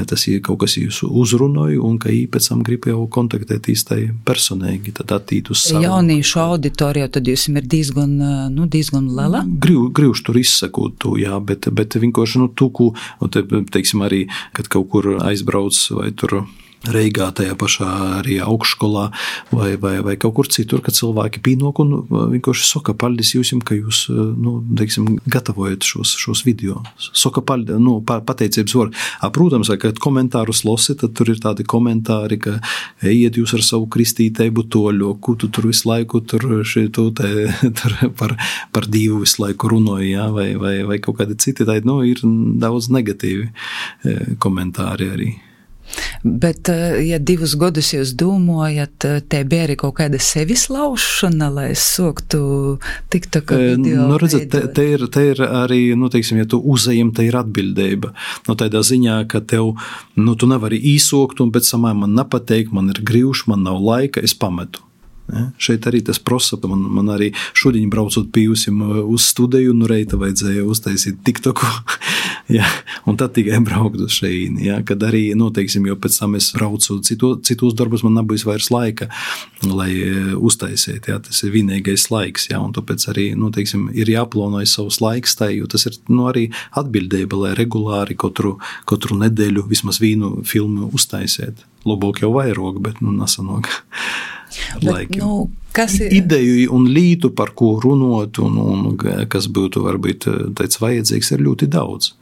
tas ir kaut kas jūs uzrunoja, un ka pēc tam grib jau kontaktēties tai personīgi, tad attīt uz sarunu. Jauniešu auditorija, tad jūs ir diezgan, nu, diezgan lela? Griv, grivšu tur izsakot to, jā, bet, bet vienkārši, nu, tuku, un te, teiksim arī, kad kaut kur aizbrauc vai tur Reigā, tajā pašā arī augšskolā vai, vai, vai kaut kur citur, kad cilvēki pienāk un vienkārši saka, paldies jums, ka jūs, nu, teiksim, gatavojat šos, šos video. Saka, paldies, nu, pateicības var. Protams, kad komentārus losi, tad tur ir tādi komentāri, ka ejiet jūs ar savu kristīteibu toļo, ko tu tur visu laiku tur, šitu, te, tur par, par Dievu visu laiku runāji, ja? vai, vai, vai kaut kādi citi, tā, nu, ir daudz negatīvi komentāri arī. Bet, ja divus gadus jūs domājat, te bija arī kaut kāda sevis laušana, lai es soktu TikTok video? Nu, redzat, te, te, ir, te ir arī, nu, teiksim, ja tu uzejam, te ir atbildība. Nu, tādā ziņā, ka tev, nu, tu nevari īsokt un pēc samā man nepateik, man ir grīvš, man nav laika, es pametu. Ja, šeit arī tas prosa, man, man arī šodien braucot pijusim uz studiju, nu reita vajadzēja uztaisīt TikToku, ja, un tad tikai braukt uz šeit, ja, kad arī, nu, teiksim, jo pēc tam es braucu citu, citos darbus, man nebūs vairs laika, lai uztaisīt, ja, tas ir vienīgais laiks, ja, un tāpēc arī, nu, teiksim, ir jāplānoja savus laiks tai, jo tas ir, nu, arī atbildība, lai regulāri katru, katru nedēļu vismaz vienu filmu uztaisīt. Labāk jau vairāk, bet, nu, nesanāk. Bet, nu, kas ir? Ideju un lītu, par ko runot, un, un kas būtu varbūt tāds vajadzīgs, ir ļoti daudz.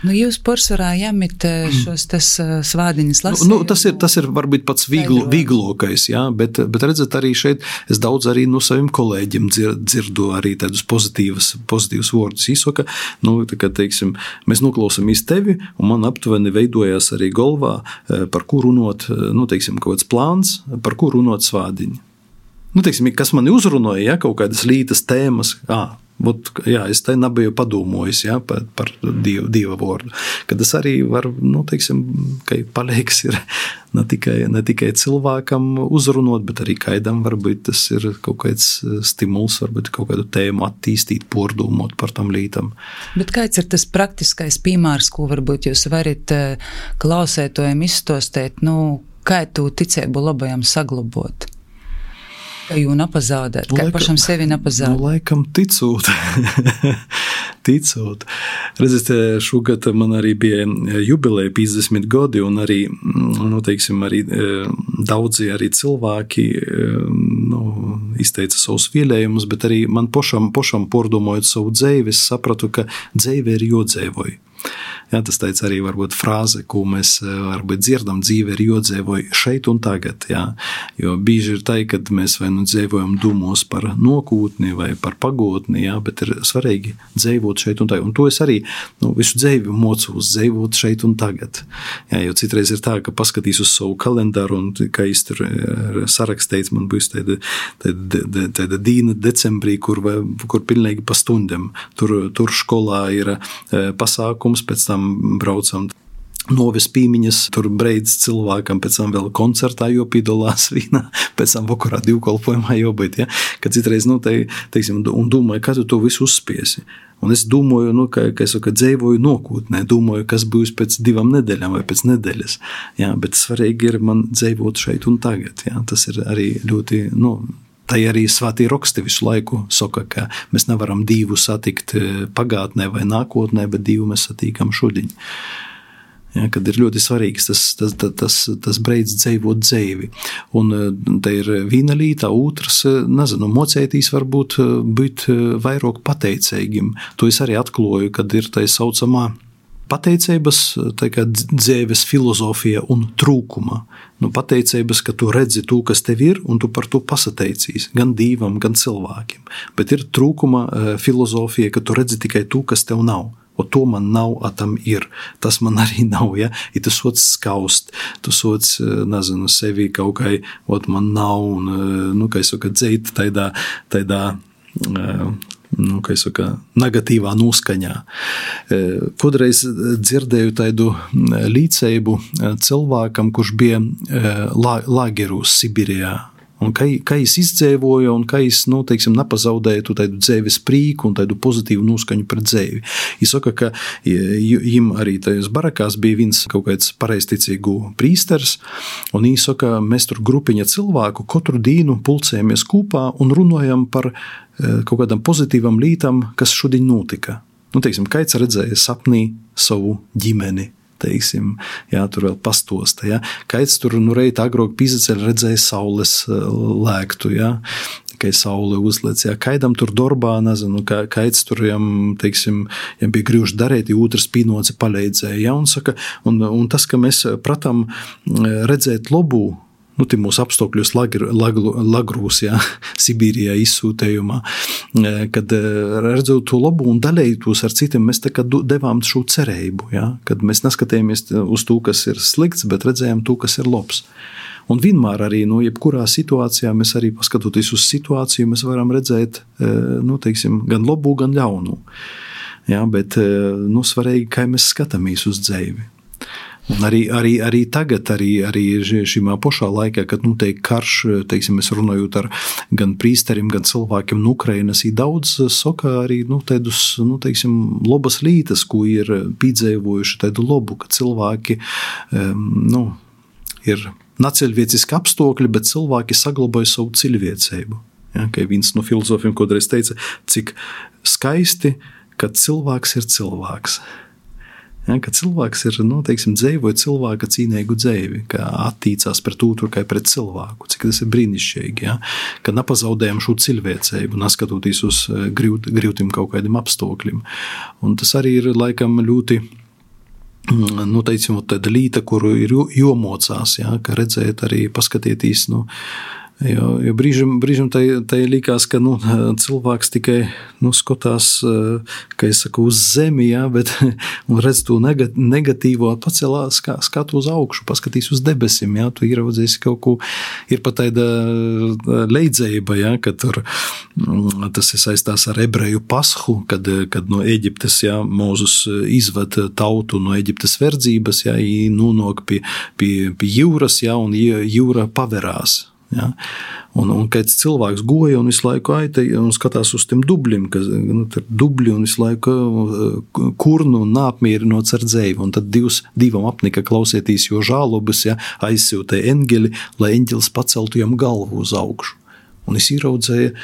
Nu, jūs pārsvarā jāmit šos tas svādiņas lasējumu. Nu, tas ir, tas ir varbūt pats viegl, vieglokais, jā, bet, bet redzat arī šeit, es daudz arī no saviem kolēģiem dzir, dzirdu arī tādus pozitīvus, pozitīvus vārdus. Īsaka, nu, tā kā, teiksim, mēs noklausamies tevi, un man aptuveni veidojās arī galvā, par ko runot, nu, teiksim, kaut kāds plāns, par ko runot svādiņu. Nu, teiksim, kas mani uzrunāja, ja, kaut kādas lītas tēmas, ā, būt, jā, es te nebiju padomojis, ja, par, par dievu, dieva vārdu. Kad tas arī var, nu, teiksim, ka palīgs ir ne tikai, ne tikai cilvēkam uzrunot, bet arī kaidam varbūt tas ir kaut kāds stimuls, varbūt kaut kādu tēmu attīstīt, pordomot par tam lītam. Bet kāds ir tas praktiskais piemērs, ko varbūt jūs varat klausētojiem izstostēt, nu, kā tu ticību labajam saglabot? Kā jū napazaudēt, kā laikam, pašam sevi napazaudēt? Nu, laikam ticot. ticot. Redziet, šogad man arī bija jubileja piecdesmit gadi, un arī, nu, teiksim, arī daudzi arī cilvēki, nu, izteica savus vielējumus, bet arī man pošam, pošam pordomojot savu dzēvi, es sapratu, ka dzēve ir jodzēvoju. Jā, tas teica arī varbūt frāze, ko mēs varbūt dzirdam, dzīve ir jodzēvoja šeit un tagad, jā. Jo bieži ir tā, kad mēs vai nu dzēvojam domos par nokūtni vai par pagotni, jā, bet ir svarīgi dzēvot šeit un tagad. Un to es arī, nu, visu dzēvi mocos dzēvot šeit un tagad. Jā, jo citreiz ir tā, ka paskatīs uz savu kalendāru un, kā es tur sarakstīts, man būs tāda, tāda, tāda dīna decembrī, kur, kur pilnīgi pa stundam. Tur, tur skolā ir pasākums, pēc tam braucam noves pīmiņas, tur breidz cilvēkam, pēc tam vēl koncertā jopīdolās vīnā, pēc tam vakarā divkolpojumā jobūt, ja? Kad citreiz, nu, te, teiksim, un domāju, kā tu to visu uzspiesi. Un es domāju, nu, ka, ka es ka dzēvoju nokūtnē, domāju, kas būs pēc divām nedēļām vai pēc nedēļas, ja? Bet svarīgi ir man dzēvot šeit un tagad, ja? Tas ir arī ļoti, nu, tā arī svētī raksti visu laiku saka, ka mēs nevaram Dievu satikt pagātnē vai nākotnē, bet Dievu mēs satīkam šodien. Ja, kad ir ļoti svarīgs tas, tas, tas, tas, tas breids dzēvot dzēvi. Un te ir viena līta, otrs, nezinu, mocētīs varbūt būt vairāk pateicīgim. To es arī atkloju, kad ir tā saucamā pateicības, tā kā dzēves filozofija un trūkuma. Nu, pateicības, ka tu redzi to, kas tev ir, un tu par to pasateicīs, gan Dievam, gan cilvēkiem. Bet ir trūkuma filozofija, ka tu redzi tikai to, kas tev nav. O to man nav, a tam ir. Tas man arī nav, ja? Ja tu soc skaust, tu soc, nezinu, sevi kaut kā, ot man nav, un, nu, kā es saku, dzēt taidā, taidā, nu, kā es saku, negatīvā noskaņā. Kodreiz dzirdēju tādu līdzību cilvēkam, kurš bija lagerūs Sibirijā. Un kā, kā es izdzēvoju, un kā es, nu, teiksim, nepazaudēju tu tādu dzēves prīku un tādu pozitīvu noskaņu pret dzēvi. Es saka, ka viņam arī tajos barakās bija viens kaut kāds pareizticīgu prīsters, un viņš saka, mēs tur grupiņa cilvēku katru dienu pulcējamies kopā un runājam par kaut kādam pozitīvam lītam, kas šodien notika. Nu, teiksim, kāds redzēja sapnī savu ģimeni, teiksim, jā, tur vēl pastosta, jā. Kaids tur, nu, reit agrāk pīzaceļ redzēja saules lēktu, jā, kai saule uzlec, jā, kaidam tur dorbā, nezinu, ka, kaids tur, jām, teiksim, jām bija grīvši darēt, ja otrs pīnoci paleidzēja, jā, un saka, un, un tas, ka mēs pratam redzēt lobu, nu, tie mūsu apstākļos lagr, lagru, lagrūs, jā, Sibīrijā izsūtējumā, kad redzot to labu un dalējos ar citiem, mēs tā kā devām šo cerību, jā, kad mēs neskatījāmies uz to, kas ir slikts, bet redzējām to, kas ir labs. Un vienmēr arī, nu, jebkurā situācijā mēs arī paskatoties uz situāciju, mēs varam redzēt, nu, teiksim, gan labu, gan ļaunu. Jā, bet, nu, svarīgi, kā mēs skatāmies uz dzīvi. Un arī, arī, arī tagad, arī, arī šimā pošā laikā, kad notiek karš, teiksim, es runājot ar gan prīsterim, gan cilvēkiem no Ukrainas, ir daudz soka arī, nu, tādus, nu, teiksim, labas lītas, ko ir pīdzēvojuši tādu labu, ka cilvēki, um, nu, ir naceļvieciski apstākļi, bet cilvēki saglabāja savu cilvēcību. Ja, kā viens no filozofiem kodreiz teica, cik skaisti, kad cilvēks ir cilvēks. Ja, ka cilvēks ir, nu, teiksim, dzīvoja cilvēka cīnīgu dzīvi, ka attīcās pret otru kā pret cilvēku, cik tas ir brīnišķīgi, ja, ka nepazaudējam šo cilvēcību, neskatoties uz grūt, grūtiem kaut kādiem apstākļiem. Un tas arī ir, laikam, ļoti, nu, teicim, tāda līta, kuru ir jomocās, ja, ka redzēt arī paskatieties, nu, Jo, jo brīžam, brīžam tai, tai likās, ka, nu, cilvēks tikai, nu, skotās, kā es saku, uz zemi, jā, bet, un redz to negatīvo, pacelā skatu uz augšu, paskatīs uz debesim, jā, tu ieraudzēsi kaut ko, ir pat tāda leidzēba, jā, ka tur, tas ir saistās ar ebreju pashu, kad, kad no Eģiptes, jā, Mūzus izved tautu no Eģiptes verdzības, jā, i nonāk pie, pie, pie jūras, jā, un jūra paverās. Ja? Un, un kāds cilvēks goja un visu laiku aita un skatās uz tiem dubļiem, ka nu, dubļi un visu laiku kurnu un nāpmierinots ar dzēju. Un tad divs, divam apnika klausieties, jo žālobas, ja, aizsūtē eņģeli, lai eņģelis paceltu jam galvu uz augšu. Un es ieraudzēju,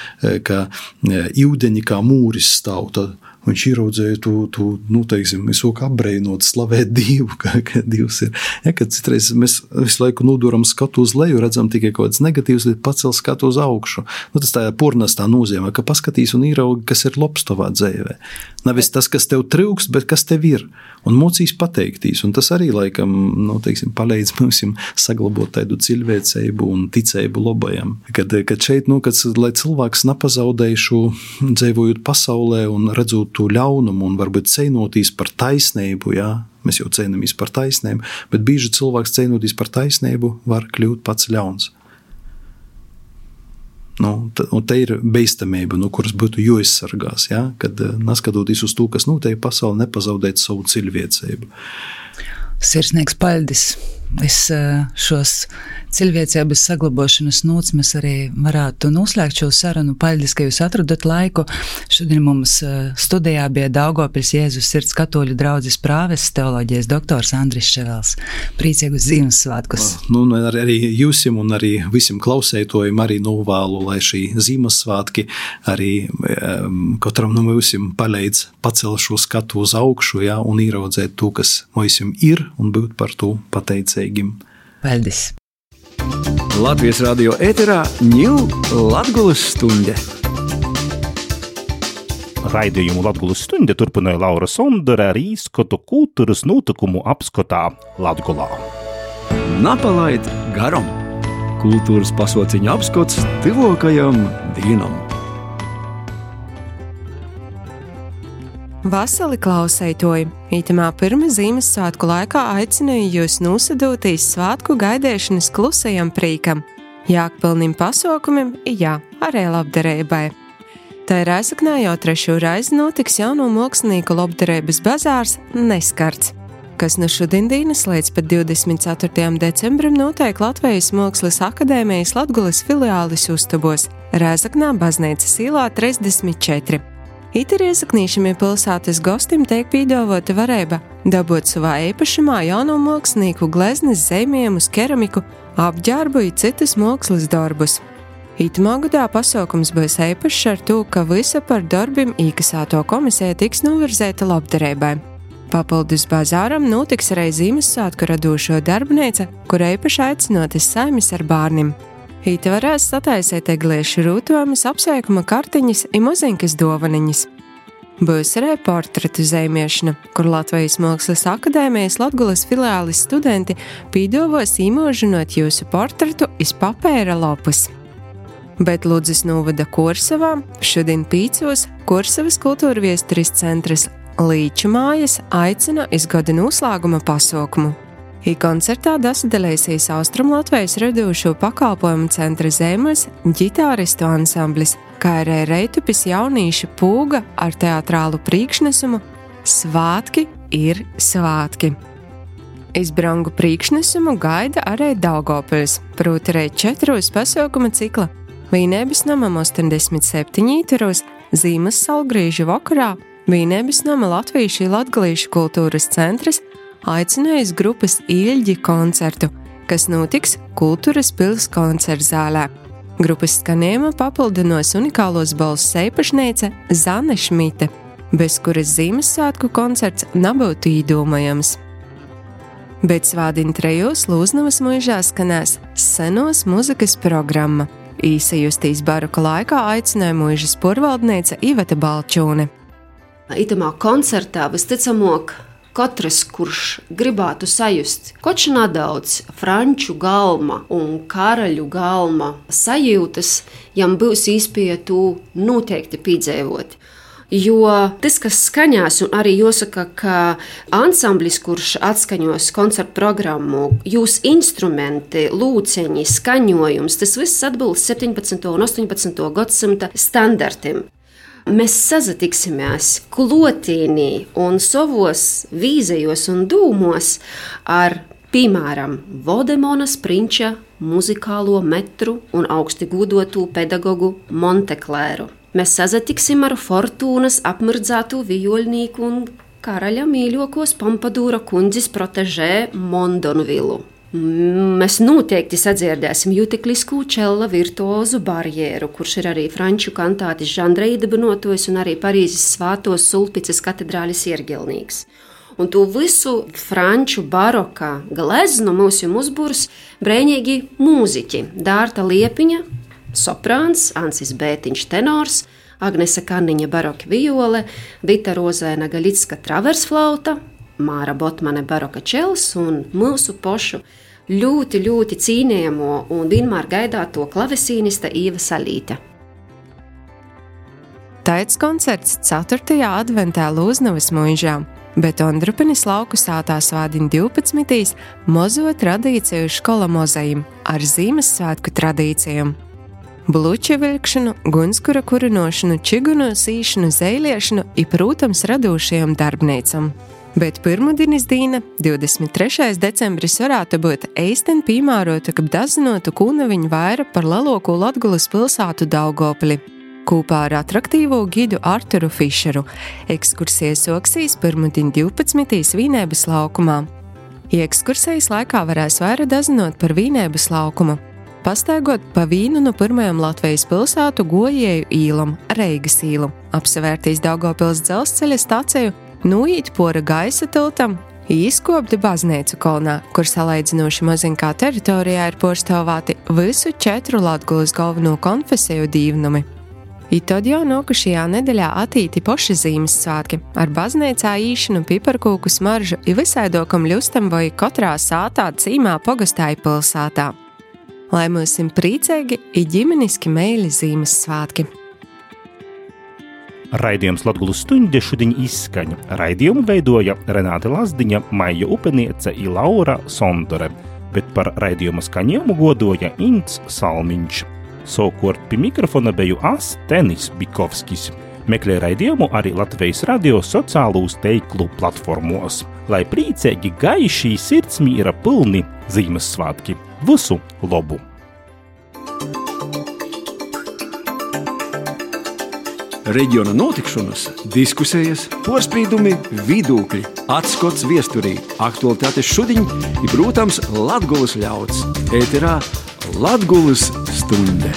ka ūdeņi kā mūris stāv, tad viņš ieraudzēja tu, tu, nu, teiksim, es ook apbreinot, slavēt Dievu, ka, ka Dievs ir. Ja, kad citreiz mēs visu laiku noduram skatu uz leju, redzam tikai kaut kāds negatīvs, bet pacel skatu uz augšu. Nu, tas tā purnās tā nozīmē, ka paskatīs un ieraugi, kas ir labs tavā dzīvē. Nevis tas, kas tev trūkst, bet kas tev ir. Un mocīs pateiktīs. Un tas arī, laikam, nu, teiksim, palīdz mums saglabot tādu cilvēcību un ticību labajam. Kad, kad šeit, nu, kad, lai cilvēks nepazaudēja šo dzīvojot pasaulē un redzot to ļaunumu un varbūt cīnoties par taisnību, jā, mēs jau cīnamies par taisnību, bet bieži cilvēks cīnoties par taisnību var kļūt pats ļauns. Nu, un te ir beistamība, no kuras būtu jāizsargās, jā, kad neskatoties uz to, kas notiek pasaulē, nepazaudēt savu cilvēcību. Sirsnīgs paldies! Es šos cilvēcības saglabošanas nūts mēs arī varētu noslēgt šo sarunu. Paldies, ka jūs atradat laiku. Šodien mums studijā bija Daugavpils Jēzus Sirds katoļu draudzes prāvests, teoloģijas doktors Andris Ševels. Priecīgus Ziemassvētkus! Nu, arī jūsim un arī visiem klausētojiem arī novēlu, lai šī Ziemassvētki arī um, katram no mūsim palīdz pacelt šo skatu uz augšu, jā, un ieraudzēt to, kas mūsim ir, un būt par to pateicīgi. Paldies! Latvijas radio ēterā ņū Latgulas stunde. Raidījumu Latgulas stunde turpināja Laura Sondore ar īskotu kultūras notikumu apskotā Latgulā. Napalaid garam! Kultūras pasauciņa apskots tuvākajam dienam. Vasali klausētoji, itamā pirma Ziemassvētku laikā aicināju jūs nosadūtīs svātku gaidēšanas klusajam prīkam, jākpilnim pasaukumim, jā, arī labdarībai. Tā ir Rēzaknē jau trešo reizi notiks jauno mākslinieku labdarības bazārs Neskarts, kas no šodienas līdz pat divdesmit ceturtajam decembrim notiek Latvijas Mākslas akadēmijas Latgulas filiālis uztabos Rēzaknē baznīcas ielā trīsdesmit četri. Ite riezaknīšamie pilsētas gostim tiek pīdāvota varēba dabūt savā īpašumā jauno mākslinieku gleznes zīmējumus, keramiku, apģērbu i citus mākslas darbus. Itamā gadā pasaukums būs īpašs ar to, ka visa par darbim īkasāto komisija tiks novirzēta labdarībai. Papildus bazāram notiks arī Ziemassvētku radošo darbnīca, kura īpaši aicinotas saimis ar bārnim. Īt varēs sataisēt egliešu rūtojumus, apsveikuma kartiņas i moziņkas dovaniņas. Būs arī portretu zīmiešana, kur Latvijas Mākslas akadēmijas Latgulas filiālis studenti pīdovos īmožinot jūsu portretu iz papēra lapus. Bet Ludzas novada Korsavā šodien pīcos Korsavas kultūra viesturis centrs Līču mājas aicina iz gada noslēguma pasaukumu. I koncertā dasadalēsies Austrum Latvijas radošo pakalpojumu centra Zemes ģitāristu ansamblis, kā arī Reitupis jaunīša pūga ar teatrālu priekšnesumu Svātki ir svātki. Iz brangu priekšnesumu gaida arī Daugavpils, proti arī četros pasaukuma cikla Vīnēbis namam ostoņdesmit septiņi īturos, Zīmes salgrīžu vakarā Vīnēbis nama Latviešu i Latgalīšu kultūras centrs aicinājis grupas Īļģi koncertu, kas notiks Kultūras pils koncertzālē. Grupas skanējuma papildinos unikālos balss īpašniece Zane Šmite, bez kuras Ziemassvētku koncerts nebūtu īdomājams. Bet svādiņ trejos Lūznavas muižā skanēs senos muzikas programma. Īsajustīs baroka laikā aicināja muižas porvaldniece Iveta Balčūne. Itamā koncertā visticamāk katrs, kurš gribētu sajust koč nedaudz franču galma un karaļu galma sajūtas, jam būs īspēja to noteikti piedzīvot. Jo tas, kas skaņās, un arī jāsaka, ka ansamblis, kurš atskaņos koncertu programmu, jūs instrumenti, lūceņi, skaņojums, tas viss atbilst septiņpadsmito un ostoņpadsmito gadsimta standartiem. Mēs sazatiksimies klotīnī un savos vīzejos un dūmos ar, piemēram, Vodemonas prinča muzikālo metru un augsti gūdotu pedagogu Monteklēru. Mēs sazatiksim ar Fortūnas apmirdzātu vijoļnīku un karaļa mīļokos Pompadūra kundzes protežē Mondonvilu. Mēs noteikti sadzirdēsim juteklisku čella virtuozu barjeru, kurš ir arī franču kantātis žanra iedibinotojs un arī Parīzes Svātos Sulpicas katedrālis iergilnīgs. Un to visu franču baroka gleznu mums jau uzburs brēņīgi mūziķi Dārta Liepiņa, soprāns, Ansis Bētiņš tenors, Agnese Kanniņa baroka viole, Vita Rozēna Gaļicka traversflauta, Māra Botmane baroka čels un mūsu pošu ļoti, ļoti cīnījamo un vienmēr gaidāto klavesīnista Īva Salīte. Taits koncerts ceturtajā adventā Lūznavas muižā, bet Ondrupenis lauku sātā svādiņ divpadsmitīs mozo tradīciju škola mozajim ar Ziemassvētku tradīcijām. Bluču vilkšanu, gunskura kurinošanu, čigunu sīšanu, zeiliešanu i, protams, radošajam darbnīcam. Bet pirmudienas dīna, divdesmit trešais decembris, varētu būt eisten pīmārota, kab dazinotu kūnaviņu vaira par leloku Latgulas pilsātu Daugavpili. Kūpā ar atraktīvo gidu Arturu Fišeru ekskursijas soksīs pirmudien divpadsmitīs Vīnēbas laukumā. I ekskursijas laikā varēs vaira dazinot par Vīnēbas laukumu, pastaigot pa vīnu no pirmajam Latvijas pilsātu gojēju īlam, Reigas īlu, apsevērtīs Daugavpils dzelzceļa staciju, nūīt pora gaisa tiltam, izkopti baznīcu kolnā, kur salaidzinoši maziņkā teritorijā ir porstāvāti visu četru Latgulas galveno konfesiju dīvnumi. I tad jau nokušajā nedeļā attīti poši Ziemassvētki ar baznīcā īšanu, piparkūku smaržu i visaidokam ļustam vai katrā sātā cīmā pogastāja pilsātā. Lai mūsim prīcēgi i ģimeniski meili Ziemassvētki. Raidījums Latgulas stuņde šodien izskaņa. Raidījumu veidoja Renāte Lazdiņa, Maija Upeniece i Laura Sondore, bet par raidījuma skaņojumu godoja Ints Salmiņš. Savukārt pie mikrofona beju es, Tenis Bikovskis. Meklē raidījumu arī Latvijas radio sociālūs teiklu platformos. Lai prīcēgi gaišī sirdsmīra pilni Ziemassvētki. Visu labu! Reģiona notikšanas, diskusijas, porspīdumi, vidūkļi, atskots viesturī, aktualitātes šodiņ ir, protams, Latgulas ļauds. Ēterā Latgulas stunde.